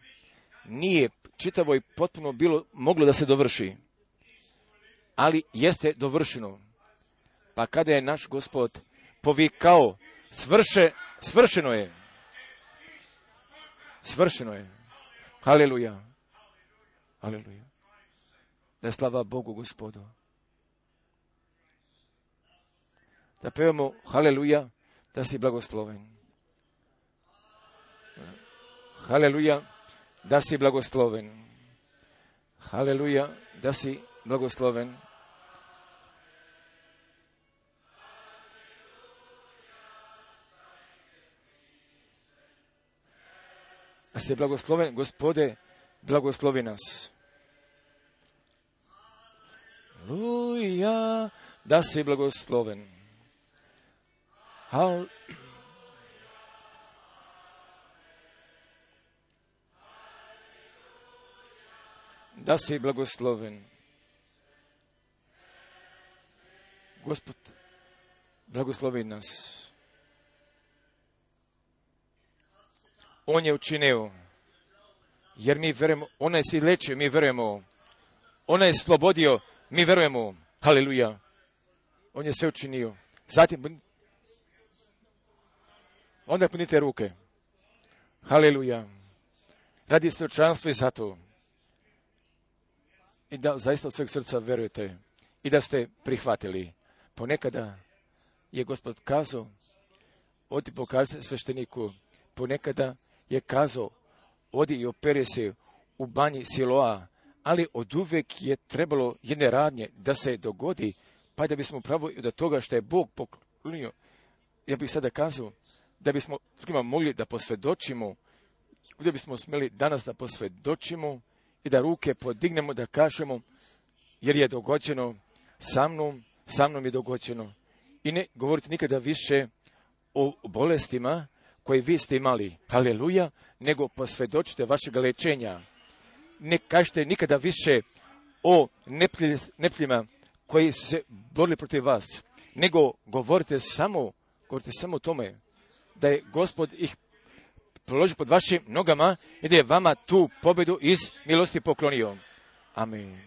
A: nije čitavo i potpuno bilo moglo da se dovrši, ali jeste dovršeno. Pa kada je naš Gospod povikao, svršeno je. Svršeno je. Haleluja. Haleluja. Da je slava Bogu Gospodu. Da pevamo haleluja, da si blagosloven. Haleluja, da si blagosloven. Haleluja, da si blagosloven. Da si blagosloven, Gospode, blagoslovi nas. Haleluja, da si blagosloven. Da si blagosloven. Gospod, blagoslovi nas. On je učinio, jer mi verujemo, on je si lečio, mi verujemo. On je slobodio, mi verujemo. Haleluja. On je sve učinio. Zatim, onda punite ruke. Haleluja. Radi svečanstvo i zato. I da zaista od sveg srca verujete i da ste prihvatili. Ponekada je Gospod kazao, odi pokaži svešteniku, ponekada je kazao, odi i operi se u banji Siloa, ali od uvek je trebalo jedne radnje da se dogodi, pa da bismo pravo od toga što je Bog poklonio. Ja bih sada kazao, da bismo drugima mogli da posvjedočimo, da bismo smjeli danas da posvjedočimo i da ruke podignemo, da kažemo, jer je dogođeno sa mnom je dogođeno. I ne govorite nikada više o bolestima koje vi ste imali, haleluja, nego posvjedočite vašeg lečenja. Ne kažete nikada više o neprijateljima koji su se borili protiv vas, nego govorite samo o tome da je Gospod ih položio pod vašim nogama i da je vama tu pobjedu iz milosti poklonio. Amen.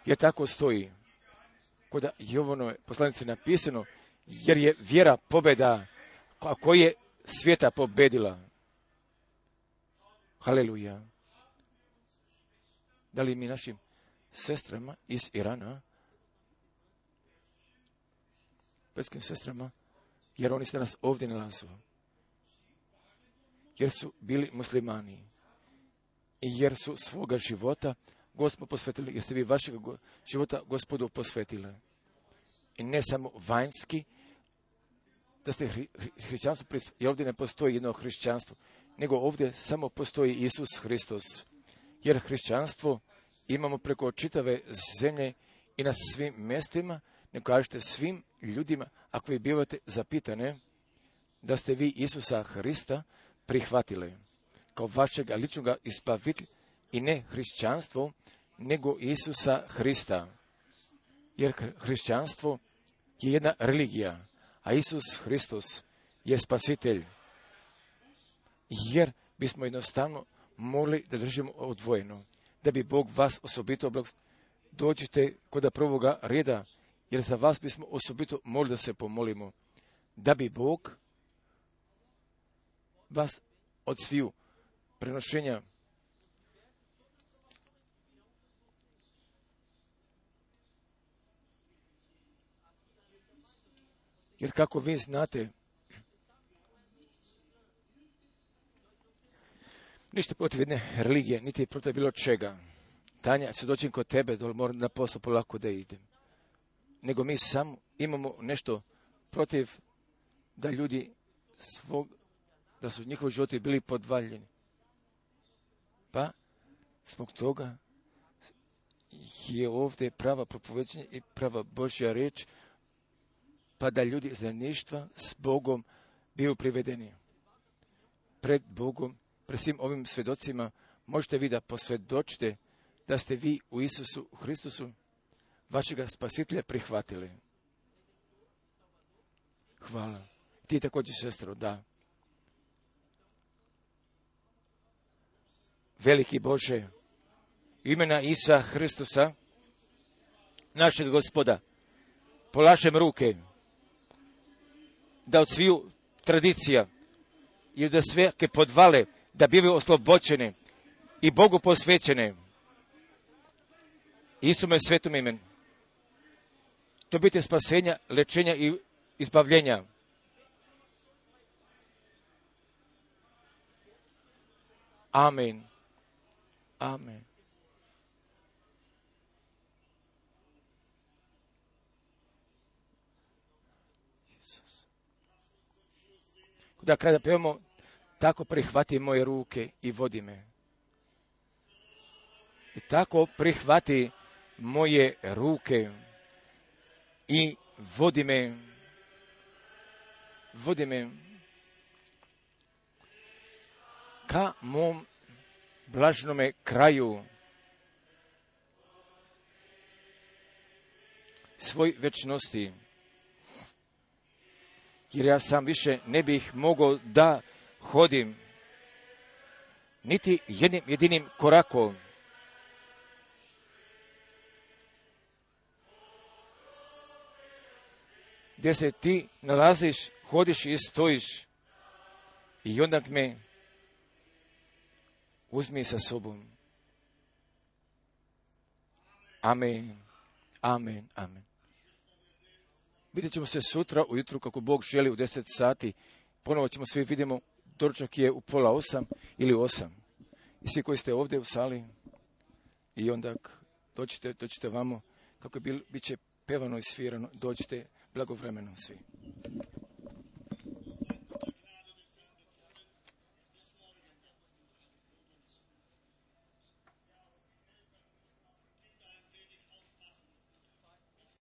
A: Jer tako stoji. Kod Jovanove poslanice napisano, jer je vjera pobjeda koja je svijeta pobedila. Haleluja. Da li mi našim sestrama iz Irana, petskim sestrama, jer oni se nas ovdje nalazu, jer su bili muslimani i jer su svoga života Gospodu posvetili, jer ste vi vašeg života Gospodu posvetili. I ne samo vanjski, da ste hrišćanstvo, jer ovdje ne postoji jedno hrišćanstvo, nego ovdje samo postoji Isus Hristos. Jer hrišćanstvo imamo preko čitave zemlje i na svim mjestima, ne kažete svim ljudima, ako vi bivate zapitane, da ste vi Isusa Hrista prihvatili kao vašeg ličnog izbavitelja i ne hrišćanstvo, nego Isusa Hrista. Jer hrišćanstvo je jedna religija, a Isus Hristos je spasitelj. Jer bismo jednostavno morali da držimo odvojeno, da bi Bog vas osobito dođite kod prvoga reda, jer za vas bismo osobito morali da se pomolimo, da bi Bog vas od sviju prenošenja jer kako vi znate, ništa protiv jedne religije, niti protiv bilo čega. Tanja, se doćim kod tebe, dole moram na posao polako da idem. Nego mi samo imamo nešto protiv da ljudi da su njihovi životi bili podvaljeni. Pa, zbog toga je ovdje prava propoveđenje i prava Božja riječ, pa da ljudi iz zajedništva s Bogom biju privedeni. Pred Bogom, pred svim ovim svjedocima, možete vi da posvjedočite da ste vi u Isusu Hristusu, vašega spasitelja, prihvatili. Hvala. Ti također, sestro, da. Veliki Bože, imena Isa Hristusa, našeg Gospoda, polažem ruke, da od sviju tradicija i da sve podvale, da bivaju oslobođene i Bogu posvećene. Isume svetom imenu. To biti spasenja, lečenja i izbavljenja. Amen. Amen. Da kada pevamo, tako prihvati moje ruke i vodi me. I tako prihvati moje ruke i vodi me. Vodi me ka mom blažnome kraju, svoj večnosti. Jer ja sam više ne bih mogao da hodim niti jednim jedinim korakom. Gdje se ti nalaziš, hodiš i stojiš. I onda me uzmi sa sobom. Amen. Amen. Amen. Vidjet ćemo se sutra ujutru kako Bog želi u 10 sati. Ponovo ćemo svi vidimo, doručak je u 7:30 ili 8. I svi koji ste ovdje u sali i onda dođite vamo kako bit će pevano i svirano, dođite blagovremeno svi.